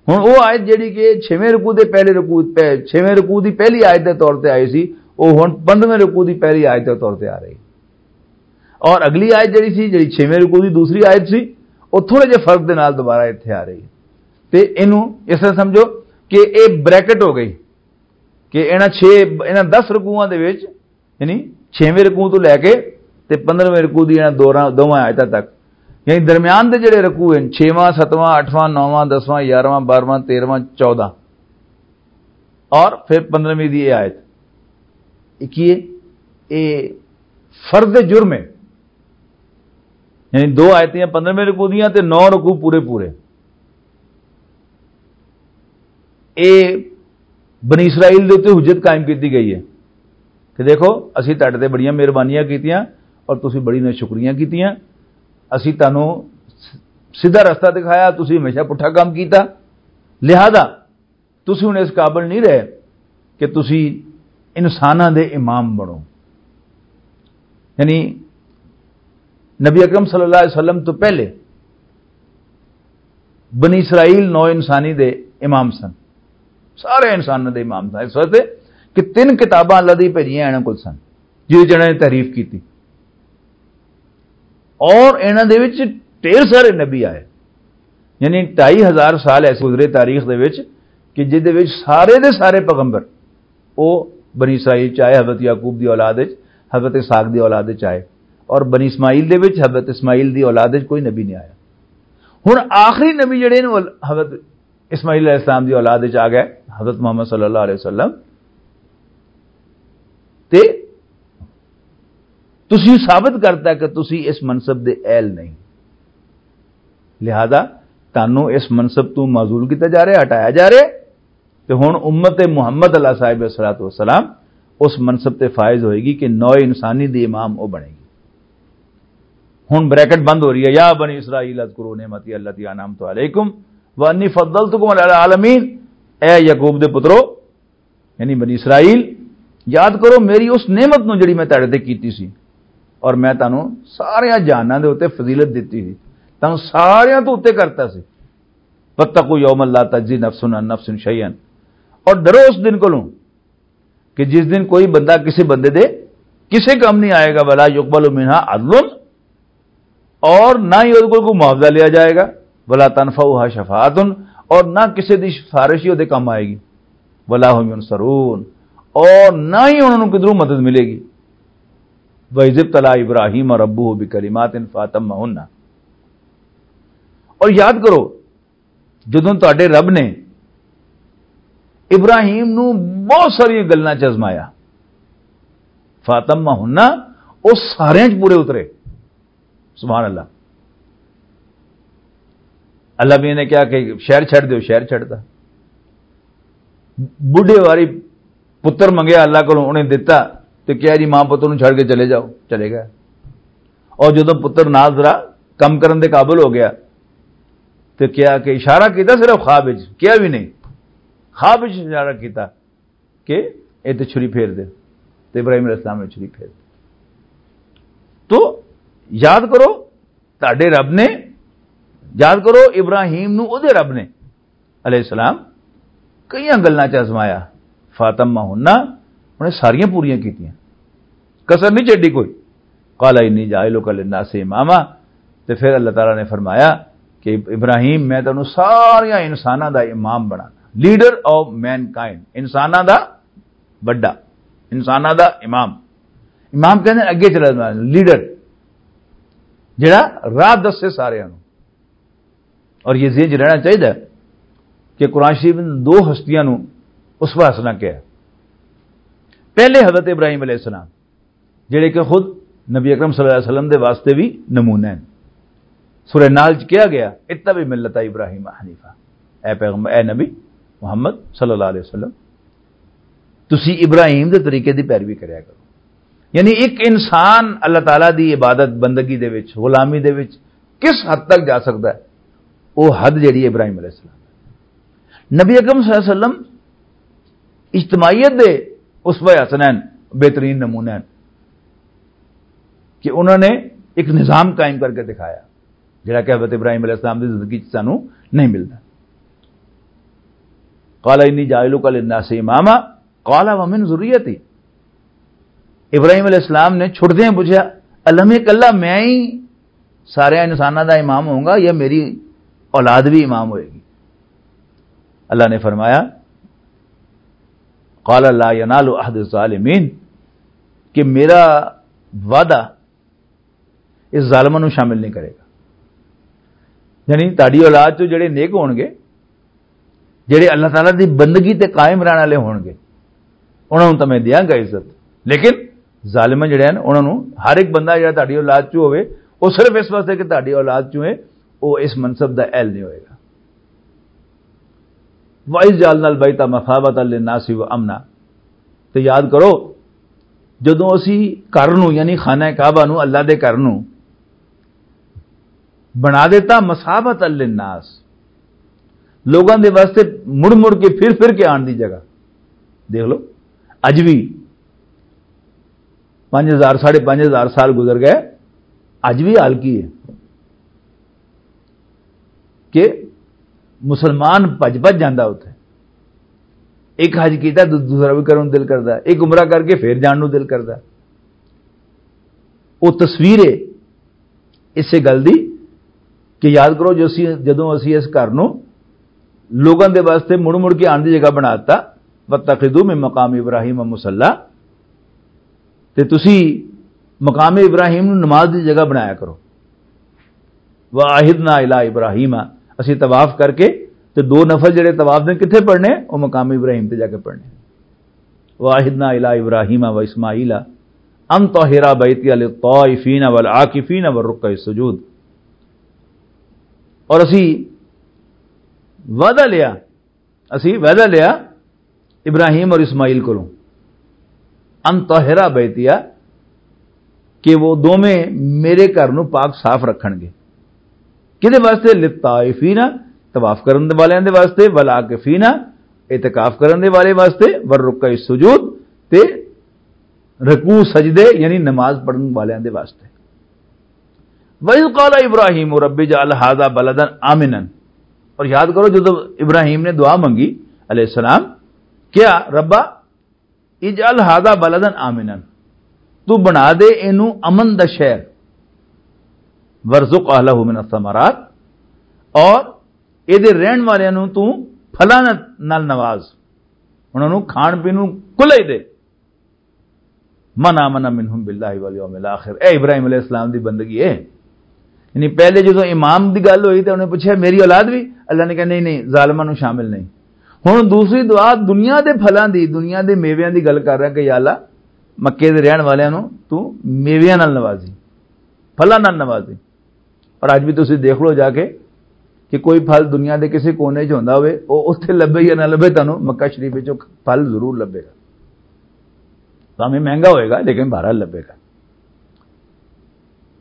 ہن او آیت جڑی کہ چھویں رکوع دے پہلے رکوع پہ، چھویں رکوع دی پہلی آیت دے طور تے آئی سی، او ہن پندرہویں رکوع دی پہلی آیت دے طور تے آ رہی۔ اور اگلی آیت جڑی سی، جڑی چھویں رکوع دی دوسری آیت سی، او تھوڑے جے فرق دے نال دوبارہ ایتھے آ رہی ہے۔ تے اینوں اس طرح سمجھو کہ اے بریکٹ ہو گئی کہ انہاں چھ، انہاں دس رکوعاں دے وچ، یعنی چھویں رکوع تو لے کے تے پندرہویں رکوع دی انہاں دوراں، دوواں آیتاں تک، یعنی درمیان دے جڑے رکوع ہیں، چھواں، ستواں، اٹھواں، نوواں، دسواں، یارہواں، بارہواں، تیرہواں، چودہ، اور پھر پندرہویں دی یہ آیت، یہ کی ہے؟ یہ فرد جرم ہے۔ یعنی دو آیتیں پندرہویں رکوع دیاں تے نو رکوع پورے پورے۔ اے بنی اسرائیل دے اُتے حجت قائم کیتی گئی ہے کہ دیکھو، اسی تہاڈے تے بڑیاں مہربانیاں کیتیاں اور تسی بڑی ناشکریاں کیتیاں۔ اسی تانوں سیدھا رستہ دکھایا، تسی ہمیشہ پٹھا کام کیتا، لہذا تسی ہن اس قابل نہیں رہے کہ تسی انساناں دے امام بنو۔ یعنی نبی اکرم صلی اللہ علیہ وسلم تو پہلے بنی اسرائیل نو انسانی دے امام سن، سارے انساناں دے امام سن، اس واسطے کہ تین کتاباں اللہ دی بھیجیاں انہاں کول سن، جس جنہاں نے تحریف کیتی۔ اور انہاں دے وچ ڈھیر سارے نبی آئے، یعنی ڈھائی ہزار سال ایسے گزرے تاریخ دے وچ کہ جس دے وچ سارے دے سارے پیغمبر، او بنی اسرائیل چ آئے، حضرت یعقوب دی اولاد وچ، حضرت اسحاق دی اولاد وچ آئے، اور بنی اسماعیل دے وچ حضرت اسماعیل دی اولاد وچ کوئی نبی نہیں آیا۔ ہن آخری نبی جڑے نے، وہ حضرت اسماعیل علیہ السلام دی اولاد وچ آ گئے، حضرت محمد صلی اللہ علیہ وسلم۔ تے تسی ثابت کرتا کہ تسی اس منصب دے اہل نہیں، لہذا تانوں اس منصب تو معزول کیتا جا رہا، ہٹایا جا رہا۔ تے ہن امت محمد علیہ صاحب الصلوۃ والسلام اس منصب تے فائز ہوئے گی کہ نو انسانی دی امام او بنے گی۔ ہن بریکٹ بند ہو رہی ہے، یا بنی اسرائیل اذکروا نعمتی التی انعمت علیکم وانی فضلتکم علی العالمین۔ اے یعقوب دے پترو، یعنی بنی اسرائیل، یاد کرو میری اس نعمت نو جڑی میں تہاڈے تے کیتی سی، اور میں تانوں سارے جہاناں دے اوتے فضیلت دتی سی، تانوں سارے تو اوتے کرتا سی۔ واتقوا یوما لا تجزی نفس عن نفس شیئا، اور ڈرو اس دن کولوں کہ جس دن کوئی بندہ کسی بندے دے کسی کام نہیں آئے گا، ولا یقبل منها عدل، اور نہ ہی اس کو کوئی معاوضہ لیا جائے گا، ولا تنفعها شفاعت، اور نہ کسی دی سفارش ہی وہ کام آئے گی، ولا هم ينصرون، اور نہ ہی انہوں نے کدھروں مدد ملے گی۔ وَإِذِ ابْتَلَىٰ إِبْرَاهِيمَ رَبُّهُ بِكَلِمَاتٍ فَأَتَمَّهُنَّ۔ اور یاد کرو، جدوں تہاڈے رب نے ابراہیم نو بہت ساری گلاں چ ازمایا، فاطمہ ہن، او سارے چ پورے اترے۔ سبحان اللہ۔ اللہ بھی نے کہا کہ شہر چھڈ دیو، شہر چھڈدا۔ بڈھے واری پتر منگیا اللہ کولوں، انہیں دتا، تے کہا جی ماں پتر نوں چھڈ کے چلے جاؤ، چلے گیا۔ اور جدوں پتر نال ذرا کم کرن دے قابل ہو گیا، تے کیا کہ اشارہ کیتا صرف خواب وچ، کیا بھی نہیں، خواب وچ اشارہ کیتا کہ اے تے چھری پھیر دے، تے ابراہیم علیہ السلام نے چھری پھیر دی۔ تو یاد کرو، تہاڈے رب نے، یاد کرو ابراہیم نو اودے رب نے علیہ السلام کئیاں گلاں چ آزمایا، فاطمہ ہننا، انہیں ساریاں پوریاں کیتیاں، کسر نہیں چھڈی کوئی۔ قال انی جاعلک للناس اماما، تے پھر اللہ تعالیٰ نے فرمایا کہ ابراہیم، میں تینوں ساریاں انساناں دا امام بنانا، لیڈر آف مین کائنڈ، انساناں دا بڑا، انساناں دا امام۔ امام کہندے اگے چلا جانا، لیڈر جڑا راہ دسے سارے نوں۔ اور یہ ذہن چ رہنا چاہیے کہ قرآن شریف نے دو ہستیاں نو اس واسطے کیا؟ پہلے حضرت ابراہیم علیہ السلام، جڑے کہ خود نبی اکرم صلی اللہ علیہ وسلم دے واسطے بھی نمونہ ہیں۔ سورہ نحل چ کہا گیا، "اتبع ملت ابراہیم حنیفہ۔" اے پیغمبر، اے نبی محمد صلی اللہ علیہ وسلم، تسی ابراہیم دے طریقے دی پیروی کریا کرو۔ یعنی ایک انسان اللہ تعالیٰ دی عبادت بندگی دے وچ، غلامی دے وچ کس حد تک جا سکتا ہے؟ وہ حد جڑی ہے ابراہیم علیہ السلام۔ نبی اکرم صلی اللہ علیہ وسلم اجتماعیت دے اسوہ حسنین، بہترین نمونہ ہیں کہ انہوں نے ایک نظام قائم کر کے دکھایا، جڑا کہ حضرت ابراہیم علیہ السلام دی زندگی چ سانو نہیں ملتا۔ "قال انی جاعلک للناس اماما، قال ومن ذریتی۔" ابراہیم علیہ السلام نے چھٹدے پوچھا، "الم یک اللہ میں ہی سارے انساناں دا امام ہوؤں گا یا میری اولاد بھی امام ہوئے گی؟" اللہ نے فرمایا، "قال لا ینال عہد الظالمین"، کہ میرا وعدہ اس ظالماں نوں شامل نہیں کرے گا۔ یعنی تہاڈی اولاد چوں جڑے نیک ہون گے، جڑے اللہ تعالیٰ دی بندگی تے قائم رہن والے ہون گے، انہاں نوں تاں میں دیاں گا عزت، لیکن ظالم جڑے ہیں انہاں نوں، ہر ایک بندہ جڑا تہاڈی اولاد چوں ہوے، وہ صرف اس واسطے کہ تہاڈی اولاد چوں ہے، وہ اس منصب دا اہل نہیں ہوئے گا۔ "وَإِذْ جَعَلْنَا الْبَيْتَ مَثَابَةً لِلنَّاسِ وَأَمْنًا۔" تے یاد کرو، جدوں اسی گھر نوں، یعنی خانہ کعبہ نوں، اللہ دے گھر نوں بنا دیتا مثابۃ للناس، لوگاں دے واسطے مڑ مڑ کے، پھر پھر کے آن دی جگہ۔ دیکھ لو، اج بھی پنج ہزار، ساڑھے پنج ہزار سال گزر گئے، اج بھی حال کی ہے کہ مسلمان بھج بھج جاندا اتھے۔ ایک حج کیتا، دو-، دوسرا بھی کرن نوں دل کردا، ایک عمرہ کر کے پھر جان نوں دل کردا۔ وہ تصویر ہے اسے گل دی کہ یاد کرو، جو اسی، جدوں اسی اس گھر نوں لوگاں دے واسطے مڑ مڑ کے آن دی جگہ بنا دتا، "واتخذوا من مقام ابراہیم مصلی"، تے تسی مقام ابراہیم نوں نماز دی جگہ بنایا کرو۔ "وعہدنا الی ابراہیم"، اسی طواف کر کے تے دو نفل جڑے طواف دے کتھے پڑھنے، وہ مقام ابراہیم تے جا کے پڑھنے۔ "وعہدنا الی ابراہیم و اسماعیل ان طہرا بیتی للطائفین والعاکفین والرکع السجود۔" اور اسی وعدہ لیا، اسی وعدہ لیا ابراہیم اور اسماعیل کولوں، "ان طہرا بیتیا"، کہ وہ دوویں میرے گھر نوں پاک صاف رکھن گے۔ کدے واسطے؟ "للطائفین"، طواف کرن دے والیاں دے واسطے، "والعاکفین"، اعتکاف کرن دے والے واسطے، "والرکع السجود"، تے رکوع سجدے یعنی نماز پڑھن والیاں دے واسطے۔ "وَإِذْ قَالَ إِبْرَاهِيمُ رَبِّ اجْعَلْ هَذَا بَلَدًا آمِنًا۔" اور یاد کرو، جدو ابراہیم نے دعا منگی علیہ السلام، کیا، "ربا اجعل هَذَا بَلَدًا آمِنًا"، تو بنا دے اینو امن دا شہر، "وَارْزُقْ أَهْلَهُ مِنَ الثَّمَرَاتِ"، اور اے دے رہن والیاں نو تو پھلاں نال نواز، انہاں نو کھان پین نو کھلا ہی دے۔ "من آمن منہم باللہ والیوم الاخر"، اے ابراہیم علیہ السلام دی بندگی ہے۔ یعنی پہلے جدوں امام دی گل ہوئی تے انہوں نے پوچھا، "میری اولاد بھی؟" اللہ نے کہا، "نہیں، نہیں، ظالماں نوں شامل نہیں۔" ہن دوسری دعا دنیا دے پھلاں دی، دنیا دے میویاں دی گل کر رہا کہ یا اللہ، مکے دے رہن والیاں نوں تو میویاں نال نوازی، پھلاں نال نوازی۔ اور اج بھی تسی دیکھ لو جا کے کہ کوئی پھل دنیا دے کسی کونے چ ہوندا ہوئے، او اتھے لبھے یا نہ لبھے، تانوں مکہ شریف وچ او پھل ضرور لبھے گا، بھاویں مہنگا ہوئے گا لیکن بہرحال لبھے گا۔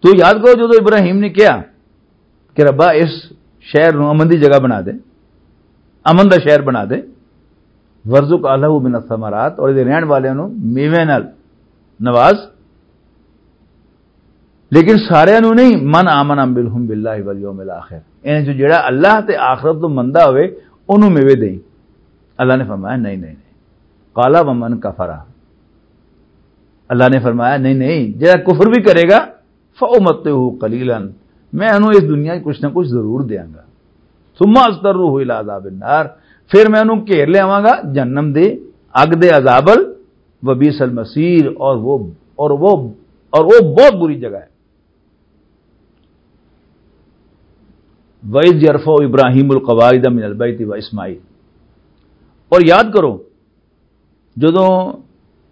تو یاد کرو، جدوں ابراہیم نے کہا کہ "ربا، اس شہر نو امن دی جگہ بنا دے، امن دا شہر بنا دے، وارزق اہلہ من الثمرات، اور یہ رہن والے نو میوے نال نواز"، لیکن سارے نو نہیں، "من آمن منہم باللہ والیوم الاخر"، یعنی جو جڑا اللہ تے آخرت تو مندا ہوئے، اونوں میوے دیں۔ اللہ نے فرمایا، "نہیں، نہیں، نہیں۔" قال ومن کفر، اللہ نے فرمایا، "نہیں، نہیں، جڑا کفر بھی کرے گا، فَأُمَتِّعُهُ قَلِيلًا، میں انہوں اس دنیا 'چ کچھ نہ کچھ ضرور دیاں گا۔ ثُمَّ أَضْطَرُّهُ إِلَىٰ عَذَابِ النَّارِ، پھر میں انہوں گھیر لیاواں گا جہنم دے، اگ دے عذاب ال، وَبِئْسَ الْمَصِيرُ، اور وہ، اور وہ، اور وہ بہت بری جگہ ہے۔" وَإِذْ يَرْفَعُ إِبْرَاهِيمُ الْقَوَاعِدَ مِنَ الْبَيْتِ وَإِسْمَاعِيلُ، اور یاد کرو، جدوں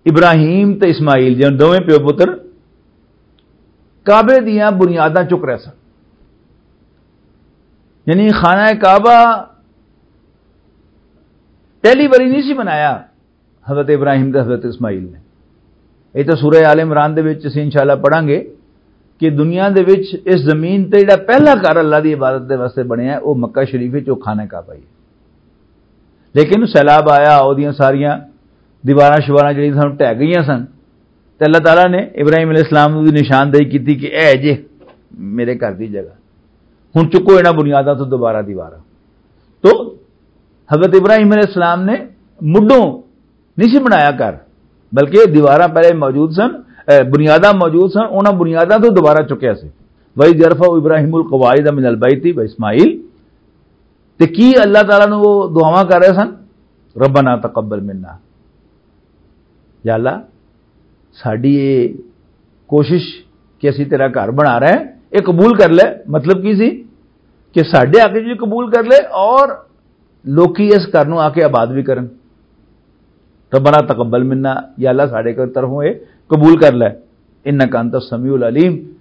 ابراہیم تے اسماعیل، جن دوویں پیو پتر، کعبے دیاں بنیاداں چک رہے سن، یعنی خانہ کعبہ پہلی باری نہیں سی بنایا حضرت ابراہیم تے حضرت اسماعیل نے۔ یہ تو سورہ آل عمران دے وچ اسی انشاءاللہ پڑھاں گے کہ دنیا دے وچ، اس زمین تے جڑا پہلا گھر اللہ دی عبادت دے واسطے بنیا ہے، وہ مکہ شریف وچ، وہ خانہ کعبہ ہی ہے۔ لیکن سیلاب آیا، اودیاں ساریاں دیواراں شواراں جڑیاں سن، ٹہہ گئیاں سن۔ تے اللہ تعالیٰ نے ابراہیم علیہ السلام نوں دی نشاندہی کیتی کہ اے جے میرے گھر دی جگہ، ہن چکو انہاں بنیاداں تو دوبارہ دیواراں۔ تو حضرت ابراہیم علیہ السلام نے مڈوں نہیں سی بنایا گھر، بلکہ دیواراں پہلے موجود سن، اے، بنیاداں موجود سن، انہاں بنیاداں تو دوبارہ چکیا سی۔ وَإِذْ يَرْفَعُ إِبْرَاهِيمُ الْقَوَاعِدَ مِنَ الْبَيْتِ وَإِسْمَاعِيلُ، تے کی اللہ تعالیٰ نوں وہ دعاواں کر رہے سن؟ "ربنا تقبل منا"، یا اللہ، ساڈی یہ کوشش کہ اسی تیرا گھر بنا رہے ہیں، یہ قبول کر لے۔ مطلب کی سی؟ کہ ساڈے حق وچ بھی قبول کر لے اور لوکی اس گھر نوں آ کے آباد بھی کرن۔ "ربنا تقبل منا"، یا اللہ، ساڈے کو طرفوں یہ قبول کر لے۔ "انک انت السمیع العلیم"،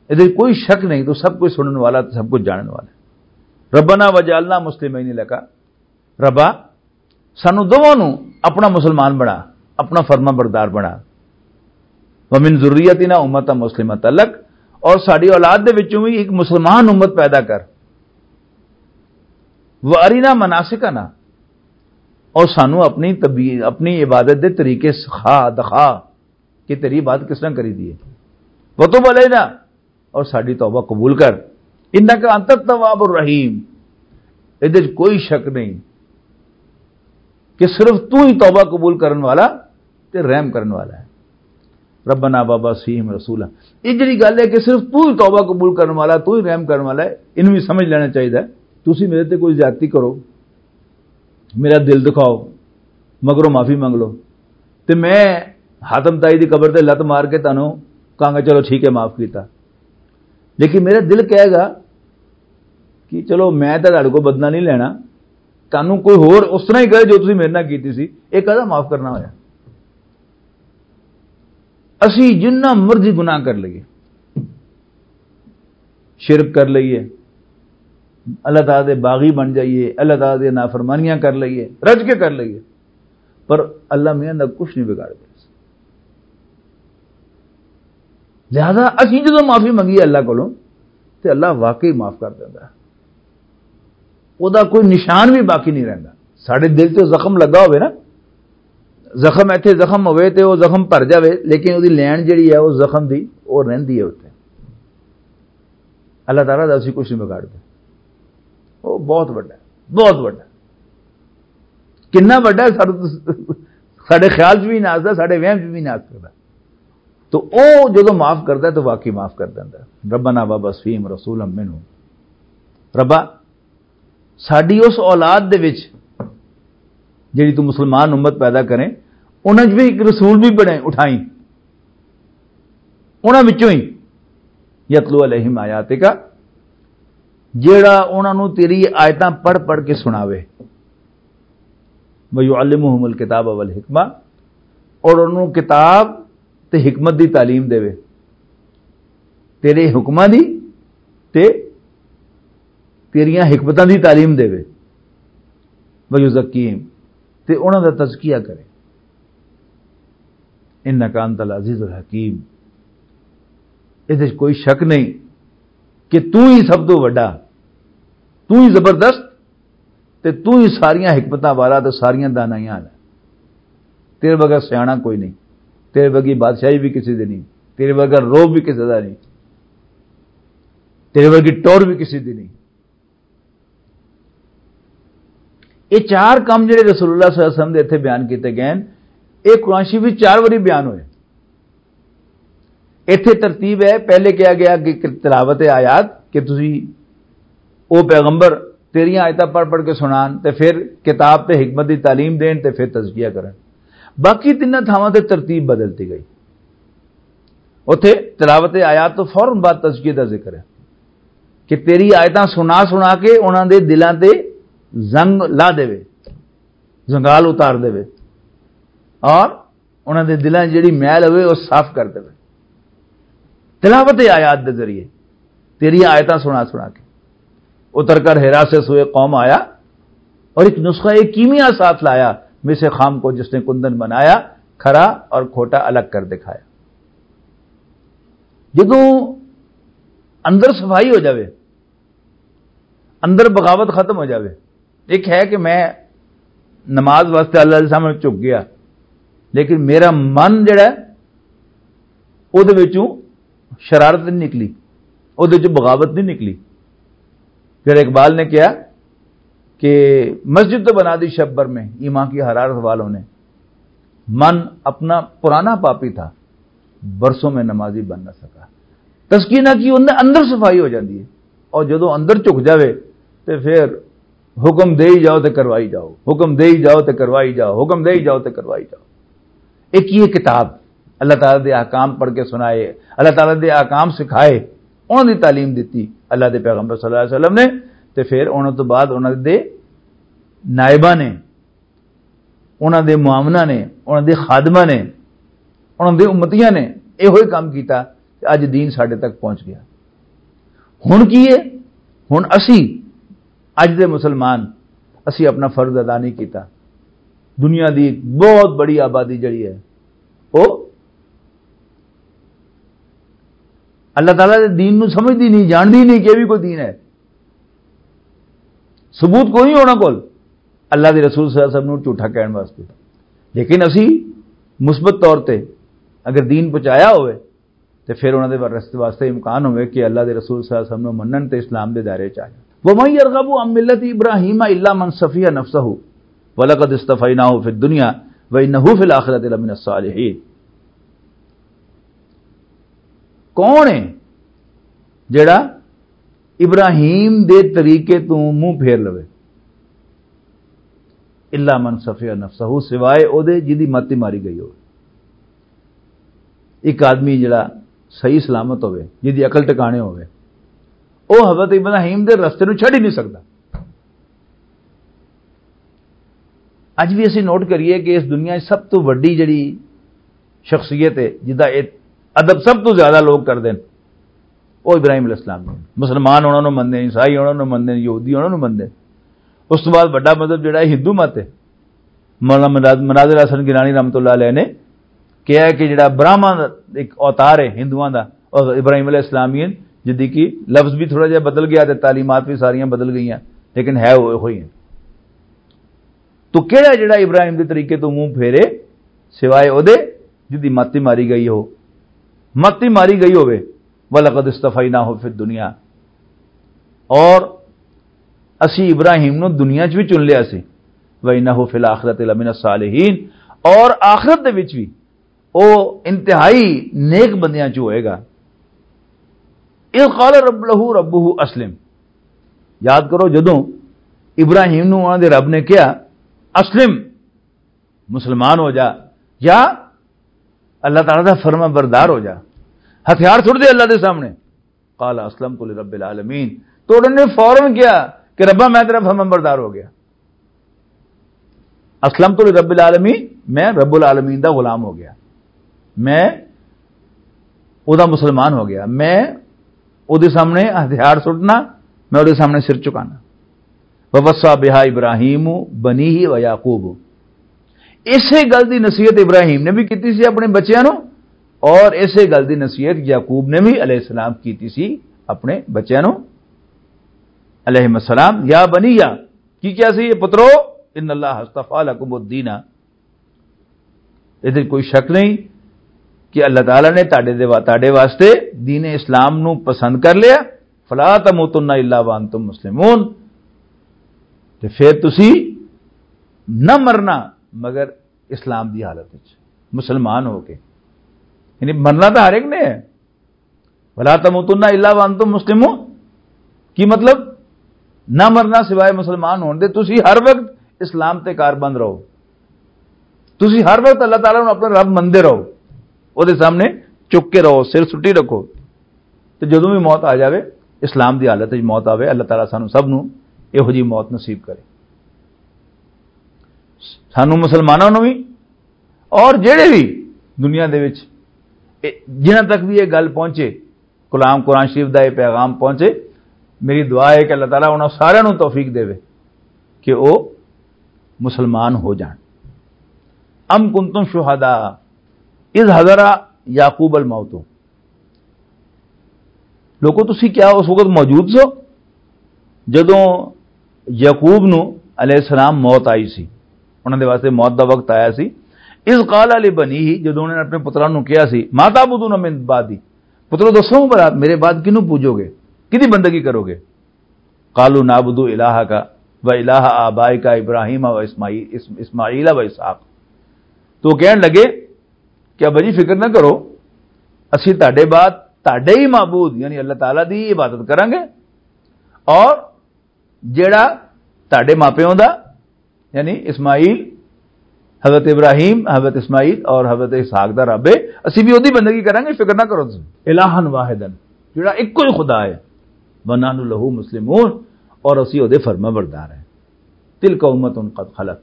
ادھر کوئی شک نہیں، تو سب کچھ سنن والا، تو سب کچھ جانن والا ہے۔ "ربنا وجعلنا مسلمین لک"، ربا، سانو دوواں نوں اپنا مسلمان بنا، اپنا فرما بردار بنا۔ "ومن ذریتنا امتا مسلمتا لک"، اور ساڈی اولاد دے وچوں بھی ایک مسلمان امت پیدا کر۔ "وارینا مناسکنا"، اور سانو اپنی طبی-، اپنی عبادت دے طریقے سکھا، دکھا کہ تیری عبادت کس طرح کری دی ہے۔ "وتب علینا"، اور ساڈی توبہ قبول کر۔ "انک انت التواب الرحیم"، ادھر کوئی شک نہیں کہ صرف تو ہی توبہ قبول کرن والا تے رحم کرن والا ہے۔ "ربنا وابعث فیہم رسولا"، یہ جڑی گل ہے کہ صرف تو ہی توبہ قبول کرن والا، تو ہی رحم کرن والا ہے، انہوں بھی سمجھ لینا چاہیے۔ تسی میرے تے کوئی زیادتی کرو، میرا دل دکھاؤ، مگروں معافی منگ لو، تے میں حاتم تائی دی قبر تے لت مار کے تانوں کہاں گا، "چلو ٹھیک ہے، معاف کیتا"۔ لیکن میرا دل کہے گا کہ چلو، میں تاں تہاڈے کول بدلہ نہیں لینا، تانوں کوئی ہور اس طرح ہی کرے جو تسی میرے نال کیتی سی، یہ کہدا معاف کرنا ہویا؟ اسی جنہ مرضی گناہ کر لئیے، شرک کر لئیے، اللہ تعالیٰ دے باغی بن جائیے، اللہ تعالیٰ دے نافرمانیاں کر لئیے، رج کے کر لئیے، پر اللہ میاں دا کچھ نہیں بگاڑ دے۔ لہذا اسی جدوں معافی منگی اللہ کولوں، تے اللہ واقعی معاف کر دیندا ہے۔ او دا کوئی نشان بھی باقی نہیں رہندا۔ ساڈے دل تے زخم لگا ہوئے نا، زخم ایتھے زخم ہوئے تے او زخم بھر جاوے، لیکن او دی لین جڑی ہے، او زخم دی، او رہندی ہے اوتھے۔ اللہ تعالیٰ دا اسی کچھ نہیں بگاڑ دے۔ او بہت وڈا ہے، بہت وڈا ہے۔ کنا وڈا ہے، ساڈے، ساڈے خیال چ بھی نہ آ سکدا، ساڈے وہم چ بھی نہ آ سکدا۔ تو او جدوں معاف کردا ہے تو واقعی معاف کر دیندا ہے۔ "ربنا وابعث فیہم رسولا منہم"، ربا، ساڈی اس اولاد دے وچ جڑی تو مسلمان امت پیدا کریں، انہاں وچ بھی ایک رسول بھی بنے، اٹھائیں انہاں وچوں ہی، "یتلو علیہم آیاتک"، جیڑا انہاں نوں تیری آیتاں پڑھ پڑھ کے سناوے، "ویعلمہم الکتاب والحکمہ"، اور انہاں نوں کتاب تے حکمت دی تعلیم دے، تیرے حکماں دی تے تیریاں حکمتاں دی تعلیم دے، "ویزکیہم"، تے انہاں دا تزکیہ کرے۔ "انک انت العزیز الحکیم"، اس وچ کوئی شک نہیں کہ تو ہی سب تو وڈا، تو ہی زبردست، تے تو ہی ساریاں حکمتاں والا تے ساریاں دانائیاں والا۔ تیرے بغیر سیاݨا کوئی نہیں، تیرے ورگی بادشاہی بھی کسی دی نہیں، تیرے ورگا روب بھی کسی دا نہیں، تیرے ورگی ٹور بھی کسی دی نہیں۔ یہ چار کام جڑے رسول اللہ صلی اللہ علیہ وسلم دے اتھے بیان کیتے گئے ہیں، یہ قرآن شریف وچ چار واری بیان ہوئے۔ ایتھے ترتیب ہے، پہلے کہا گیا کہ تلاوت آیات، کہ تسی او پیغمبر تیریاں آیتاں پڑھ پڑھ کے سنان، تے پھر کتاب تے حکمت دی تعلیم دین، تے پھر تزکیہ کرن۔ باقی تیناں تھاواں تے ترتیب بدلتی گئی۔ اوتھے تلاوت آیات تو فوراً بعد تزکیہ دا ذکر ہے کہ تیری آیتاں سنا سنا کے انہاں دے دلاں تے زنگ لا دے، زنگال اتار دے۔ اور انہاں دے دلاں 'چ جڑی میل ہوئے، وہ صاف کر دے۔ تلاوت آیات دے ذریعے، تیری آیتاں سنا سنا کے۔ اتر کر ہیرا سے سوئے قوم آیا، اور ایک نسخہ، ایک کیمیا ساتھ لایا، میں سے خام کو جس نے کندن بنایا، کھرا اور کھوٹا الگ کر دکھایا۔ جدوں اندر صفائی ہو جاوے، اندر بغاوت ختم ہو جاوے۔ ایک ہے کہ میں نماز واسطے اللہ دے سامنے جھک گیا، لیکن میرا من جڑا ہے، او دے وچوں شرارت نہیں نکلی، او دے وچوں بغاوت نہیں نکلی۔ پھر اقبال نے کہا کہ مسجد تو بنا دی شب بھر میں ایمان کی حرارت والوں نے، من اپنا پرانا پاپی تھا، برسوں میں نمازی بن نہ سکا۔ تزکیہ نہ کی، اندر، اندر صفائی ہو جاندی ہے۔ اور جدوں اندر جھک جاوے، تے پھر حکم دے ہی جاؤ تے کروائی جاؤ، حکم دے ہی جاؤ تے کروائی جاؤ، حکم دے ہی جاؤ تے کروائی جاؤ۔ ایک یہ کتاب، اللہ تعالیٰ دے احکام پڑھ کے سنائے، اللہ تعالیٰ دے احکام سکھائے، انہاں دی تعلیم دتی اللہ دے پیغمبر صلی اللہ علیہ وسلم نے۔ تے پھر انہاں تو بعد انہاں دے نائباں نے، انہاں دے معاوناں نے، انہاں دے خادماں نے، انہاں دے امتیاں نے ایہو ہی کام کیتا تے اج دین ساڈے تک پہنچ گیا۔ ہن کی ہے؟ ہن اسی، اج دے مسلمان، اسی اپنا فرض ادا نہیں کیتا۔ دنیا دی ایک بہت بڑی آبادی جڑی ہے، وہ اللہ تعالیٰ دے دین نو سمجھدی نہیں، جاندی نہیں کہ یہ بھی کوئی دین ہے۔ ثبوت کوئی نہیں انہاں کول اللہ دے رسول صلی اللہ علیہ وسلم نوں جھوٹا کہن واسطے۔ لیکن اسی مثبت طور تے اگر دین پہنچایا ہوئے، تے پھر انہاں دے واسطے، واسطے امکان ہوئے کہ اللہ دے رسول صلی اللہ علیہ وسلم نوں منن تے اسلام دے دائرے چ آ جان۔ وَمَن يَرْغَبُ عَن مِّلَّةِ إِبْرَاهِيمَ إِلَّا مَن سَفِهَ نَفْسَهُ وَلَقَدِ اصْطَفَيْنَاهُ فِي الدُّنْيَا وَإِنَّهُ فِي الْآخِرَةِ لَمِنَ الصَّالِحِينَ۔ کون ہے جڑا ابراہیم دے طریقے تو منہ پھیر لوے؟ الا من صفی نفسہ، سوائے او دے جدی مت ماری گئی ہو۔ ایک آدمی جڑا صحیح سلامت ہوئے، جدی عقل ٹکانے ہوئے، او حضرت ابراہیم دے رستے نو چھڈ ہی نہیں سکدا۔ اج بھی اسی نوٹ کریے کہ اس دنیا 'چ سب تو وڈی جڑی شخصیت ہے، جدا ادب سب تو زیادہ لوگ کردے نے، وہ ابراہیم علیہ السلام نے۔ مسلمان انہاں نوں مندے، عیسائی انہاں نوں مندے، یہودی انہاں نوں مندے۔ اس تو بعد بڑا مذہب جڑا ہے ہندو مت ہے۔ مولانا مناظر حسن گیلانی رحمۃ اللہ علیہ نے کہا ہے کہ جڑا براہما ایک اوتار ہے ہندوؤں دا، اور ابراہیم علیہ السلام ہی ہیں، جدی کی لفظ بھی تھوڑا جہا بدل گیا تے تعلیمات بھی ساریاں بدل گئیاں، لیکن ہے وہ ہوئی ہیں۔ تو کیڑا جڑا ابراہیم دے طریقے تو منہ پھیرے، سوائے او دے جدی ماتی ماری گئی ہو، ماتی ماری گئی ہوے۔ وَلَقَدِ اصْطَفَيْنَاهُ فِي الدُّنْيَا، اور اسی ابراہیم نو دنیا چ بھی چن لیا سی۔ وَإِنَّهُ فِي الْآخِرَةِ لَمِنَ الصَّالِحِينَ، اور آخرت دے وچ بھی او انتہائی نیک بندیاں چ ہوئے گا۔ اذ قال رب له ربه اسلم۔ یاد کرو، جدوں ابراہیم نو انہاں دے رب نے کہا، اسلم، مسلمان ہو جا، یا اللہ تعالیٰ دا فرما بردار ہو جا، ہتھیار چھوڑ دے اللہ دے سامنے۔ قال اسلمت لرب العالمین، تو انہوں نے فوراً کہا کہ ربا، میں تیرا فرما بردار ہو گیا۔ اسلمت لرب العالمین، میں رب العالمین دا غلام ہو گیا، میں او دا مسلمان ہو گیا، میں او دے سامنے ہتھیار سٹنا، میں او دے سامنے سر چکانا۔ ووصى بها ابراہیم بنیہ و یعقوب، اسے گل دی نصیحت ابراہیم نے بھی کیتی سی اپنے بچیاں نو، اور اسے گل دی نصیحت یعقوب نے بھی علیہ السلام کیتی سی اپنے بچیاں نو علیہ السلام۔ یا بنیہ، کی کیا سی یہ پترو؟ ان اللہ اصطفی لکم الدین، اس وچ کوئی شک نہیں کہ اللہ تعالیٰ نے تہاڈے دے وا-، تہاڈے واسطے دین اسلام نو پسند کر لیا۔ فلا تموتن الا وانتم مسلمون، تے پھر تسی نہ مرنا مگر اسلام دی حالت وچ، مسلمان ہو کے۔ یعنی مرنا تو ہر ایک نے ہے۔ ولا تموتن الا وانتم مسلمون۔ کی مطلب؟ نہ مرنا سوائے مسلمان ہون دے۔ تسی ہر وقت اسلام تے کاربند رہو، تسی ہر وقت اللہ تعالیٰ نوں اپنا رب مندے رہو، او دے سامنے چک کے رہو، سر سٹی رکھو۔ تے جدوں بھی موت آ جاوے، اسلام دی حالت وچ موت آوے، اللہ تعالیٰ سانوں سب نوں ایہو جی موت نصیب کرے، سانوں مسلماناں نوں بھی اور جڑے بھی دنیا دے وچ، اے، جنہاں تک بھی یہ گل پہنچے، کلام قرآن شریف دا یہ پیغام پہنچے، میری دعا ہے کہ اللہ تعالیٰ انہاں سارے نوں توفیق دے کہ وہ مسلمان ہو جان۔ ام کنتم شہداء اذ حضر یعقوب الموت۔ لوگو، تسی کیا اس وقت موجود سو جدوں یعقوب نو علیہ السلام موت آئی سی؟ انہاں دے واسطے موت دا وقت آیا سی۔ اذ قال لبنیہ، جدوں انہوں نے اپنے پتراں نو کہیا سی، ما تعبدون من بعدی، پترو، دسو بھلا، میرے بعد کینوں پوجو گے؟ کدی بندگی کرو گے؟ قالوا نعبد الہک و الہ آبائک ابراہیم و اسماعیل، اس-، اسماعیل و اسحاق۔ تو وہ کہن لگے کہ ابا جی، فکر نہ کرو، اسی تہاڈے بعد تہاڈے ہی معبود، یعنی اللہ تعالیٰ دی عبادت کریں گے، اور جڑا تہاڈے ماپیوں دا، یعنی اسماعیل، حضرت ابراہیم، حضرت اسماعیل اور حضرت اسحاق دا رب ہے، اسی بھی اودی بندگی کریں گے، فکر نہ کرو تسی۔ الہا واحدا، جڑا ایک ہی خدا ہے، ونحن لہ مسلمون، اور اسی اودے فرما بردار ہیں۔ تلک امۃ قد خلت،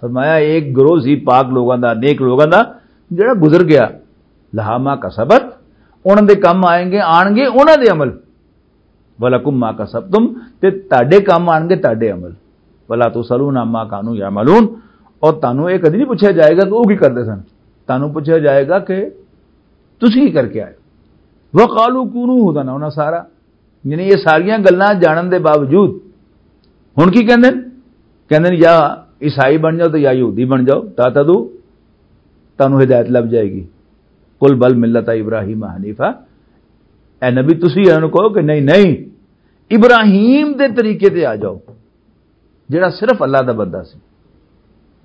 فرمایا، ایک گروہ سی پاک لوگاں دا، نیک لوگاں دا، جڑا گزر گیا۔ لہا ما کسبت، انہاں دے کم آئیں گے، آن گے انہاں دے عمل۔ ولکم ما کسبتم، تے تہاڈے کم آن گے تہاڈے عمل۔ ولا تسالون عما کانوا یعملون، اور تانوں یہ کدی نہیں پوچھا جائے گا کہ وہ کی کرتے سن، تانوں پوچھا جائے گا کہ تسی کی کر کے آئے۔ وقالوا کونوا ہدنا، انہاں سارا، یعنی یہ ساریاں گلاں جانن دے باوجود ہن کی کہندے نے؟ کہندے نے، یا عیسائی بن جاؤ تے یا یہودی بن جاؤ، تہتدوا، تانوں ہدایت لب جائے گی۔ قل بل ملت ابراہیم حنیفا، اے نبی، تسی انہاں نوں کہو کہ نہیں، نہیں، ابراہیم دے طریقے تے آ جاؤ، جڑا صرف اللہ دا بندہ سی۔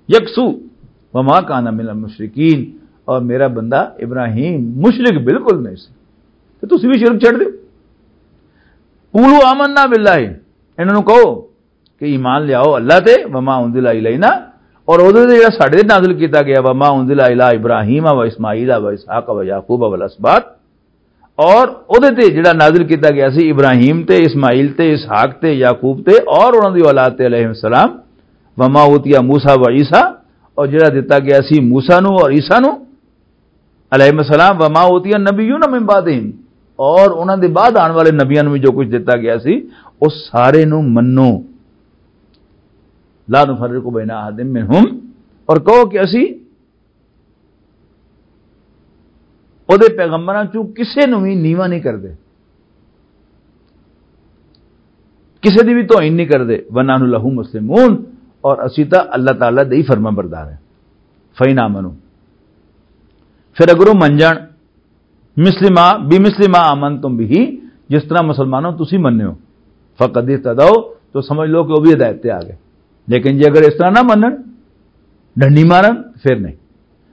یکسو، وما کان من المشرکین، اور میرا بندہ ابراہیم مشرک بالکل نہیں سی۔ تو تسی بھی شرک چھڈ دیو۔ قولوا آمنا باللہ، انہاں نوں کہو کہ ایمان لیاؤ اللہ تے، وما انزل الینا، اور اودے تے جڑا ساڈے تے نازل کیتا گیا، وما انزل الی ابراہیم و اسماعیل و اسحاق و یعقوب والاسباط، اور اودے تے جڑا نازل کیتا گیا سی ابراہیم تے، اسماعیل تے، اسحاق تے، یعقوب تے اور انہاں دی اولاد تے علیہ السلام، وما اوتیا موسیٰ و عیسیٰ، اور جڑا دتا گیا سی موسیٰ نو اور عیسیٰ نو علیہ السلام، وما اوتیا النبیون من بعدہم، اور انہاں دے بعد آن والے نبیاں نو بھی جو کچھ دتا گیا سی، اس سارے نو منو۔ لا نفرق بین احد منہم، اور کہو کہ اسی او دے پیغمبراں چوں کسے نوں وی نیواں نہیں کردے، کسے دی وی توہین نہیں کردے۔ وَنَحْنُ لَهُ مُسْلِمُونَ، اور اسی تاں اللہ تعالیٰ دے ہی فرما بردار ہیں۔ فَإِنْ آمَنُوا، پھر اگر وہ من جان، مِسْلِمَا، بِمِسْلِمَا آمَنْتُمْ بِهِ، جس طرح مسلمانوں تسی مننے ہو، فَقَدِ اهْتَدَوْا، تو سمجھ لو کہ وہ بھی ہدایت تے آ گئے۔ لیکن جے اگر اس طرح نہ منن، ڈنڈی مارن، پھر نہیں۔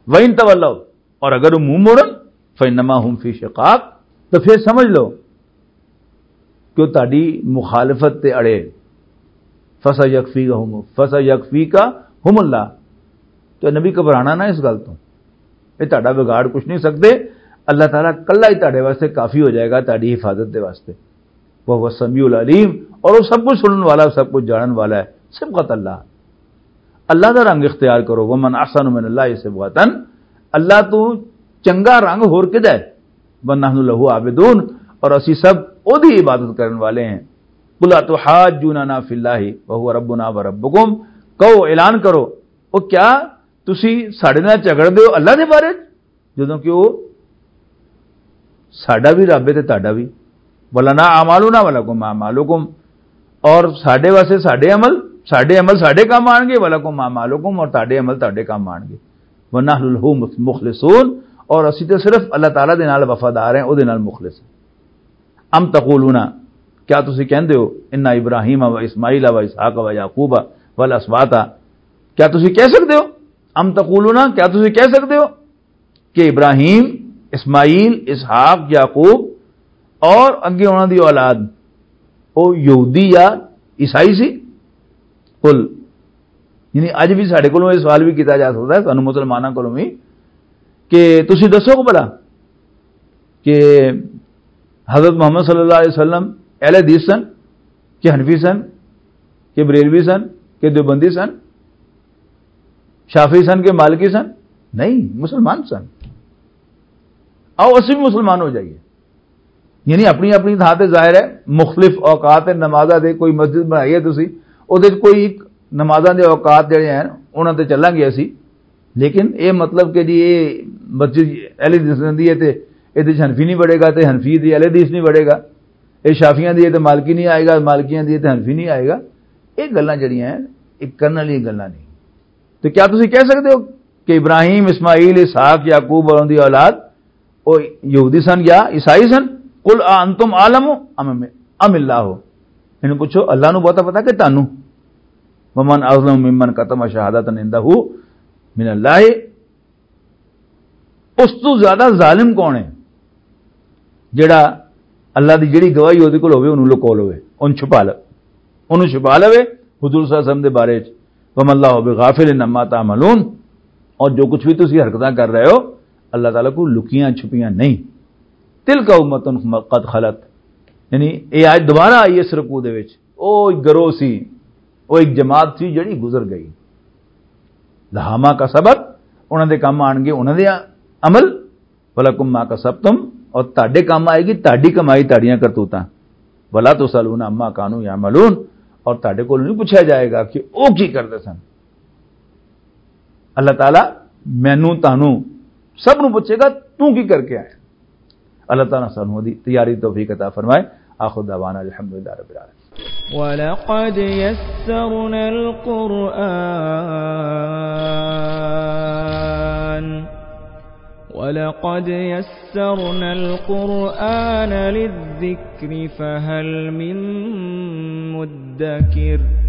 وَإِنْ تَوَلَّوْا، اور اگر وہ منہ موڑن، فَإِنَّمَا هُمْ فِي شِقَاقٍ، تو پھر سمجھ لو کہ وہ تہاڈی مخالفت تے اڑے۔ فَسَيَكْفِيكَهُمُ، فَسَيَكْفِيكَهُمُ اللَّهُ، تو نبی، گھبرانا نہ اس گل تو، یہ تہاڈا بگاڑ کچھ نہیں سکتے۔ اللہ تعالیٰ کلا ہی تہاڈے واسطے کافی ہو جائے گا، تہاڈی حفاظت دے واسطے۔ وَهُوَ السَّمِيعُ الْعَلِيمُ، اور وہ سب کچھ سنن والا، سب کچھ جانن والا ہے۔ صبغت اللہ، اللہ دا رنگ اختیار کرو۔ وَمَنْ أَحْسَنُ مِنَ اللَّهِ صِبْغَةً، اللہ تو چنگا رنگ ہور کدا ہے؟ وَنَحْنُ لَهُ عَابِدُونَ، اور اسی سب اودی عبادت کرن والے ہیں۔ قُلْ أَتُحَاجُّونَنَا فِي اللَّهِ وَهُوَ رَبُّنَا وَرَبُّكُمْ، کہو، اعلان کرو، او کیا تسی ساڈے نال جھگڑدے ہو اللہ دے بارے، جدوں کہ وہ ساڈا بھی رب ہے تے تہاڈا بھی؟ وَلَنَا أَعْمَالُنَا وَلَكُمْ أَعْمَالُكُمْ، اور ساڈے واسطے ساڈے عمل، ساڈے عمل ساڈے کام آن گے، وَلَكُمْ أَعْمَالُكُمْ، اور تہاڈے عمل تہاڈے کام آن گے۔ وَنَحْنُ لَهُ مُخْلِصُونَ، اور اسی تے صرف اللہ تعالیٰ دے نال وفادار ہیں، او دے نال مخلص ہیں۔ اَمْ تَقُولُونَ، کیا تسی کہندے ہو، اِنَّ إِبْرَاهِيمَ وَإِسْمَاعِيلَ وَإِسْحَاقَ وَيَعْقُوبَ وَالْأَسْبَاطَ، کیا تسی کہہ سکدے ہو؟ اَمْ تَقُولُونَ، کیا تسی کہہ سکدے ہو کہ ابراہیم، اسماعیل، اسحاق، یعقوب اور اگے انہاں دی اولاد، او یہودی یا عیسائی سی؟ قل، یعنی اج بھی ساڈے کولوں یہ سوال بھی کیتا جا سکدا ہے، سانوں مسلماناں کولوں بھی، کہ تسی دسو بھلا کہ حضرت محمد صلی اللہ علیہ وسلم اہل حدیث سن کہ حنفی سن کہ بریلوی سن کہ دیوبندی سن، شافعی سن کہ مالکی سن؟ نہیں، مسلمان سن۔ آؤ، اسی بھی مسلمان ہو جائیے۔ یعنی اپنی اپنی تھاں تے ظاہر ہے، مختلف اوقات تے نمازاں دے، کوئی مسجد بنائی ہے تسی، او دے کوئی ایک نمازاں دے اوقات جڑے ہیں، انہاں تے چلاں گے اسی۔ لیکن اے مطلب کہ جی اے مسجد اہل حدیث دی ہے تے اے دے حنفی نہیں بڑے گا، تے حنفی دی اہل حدیث نہیں بڑے گا، اے شافیاں دی ہے تے مالکی نہیں آئے گا، مالکیاں دی ہے تے حنفی نہیں آئے گا۔ اے گلاں جڑیاں ہیں، اے کرن والی گلاں نہیں۔ تو کیا تسی کہہ سکتے ہو کہ ابراہیم، اسماعیل، اسحاق، یعقوب اور ان دی اولاد او یہودی سن یا عیسائی سن؟ قل اانتم عالم ام، ام اللہ؟ انہوں پوچھو، اللہ نو بہتا پتا کہ تانوں؟ ومن اظلم ممن کتم شہادت عندہ من اللہ۔ اس تو زیادہ ظالم کون ہے؟ جڑا اللہ دی جڑی گواہی اودے کول ہوے، اونوں لکو لوے، اونوں چھپا لے، اونوں چھپا لوے حضور صلی اللہ علیہ وسلم دے بارے وچ۔ وما اللہ بغافل عما تعملون، اور جو کچھ بھی تسی حرکتاں کر رہے ہو، اللہ تعالیٰ کو لکیاں چھپیاں نہیں۔ تلک امۃ قد خلت، یعنی اے آج دوبارہ آئی اس رکوع دے وچ، او ایک گروہ سی، او ایک جماعت سی جڑی گزر گئی۔ لہا ما کسبت، انہاں دے کم آن گے انہاں دے عمل، ولکم ما کسبتم، اور تہاڈے کم آئے گی تہاڈی کمائی، تہاڈیاں کرتوتاں۔ ولا تسالون عما کانوا یعملون، اور تہاڈے کول نہیں پوچھا جائے گا کہ او کی کردے سن۔ اللہ تعالیٰ مینوں تانوں سب نوں پوچھے گا، تو کی کر کے آیا؟ اللہ تعالیٰ سانوں دی تیاری توفیق عطا فرمائے۔ آخر دعوانا الحمدللہ رب العالمین۔ وَلَقَدْ يَسَّرْنَا الْقُرْآنَ وَلَقَدْ يَسَّرْنَا الْقُرْآنَ لِلذِّكْرِ فَهَلْ مِن مُّدَّكِرٍ۔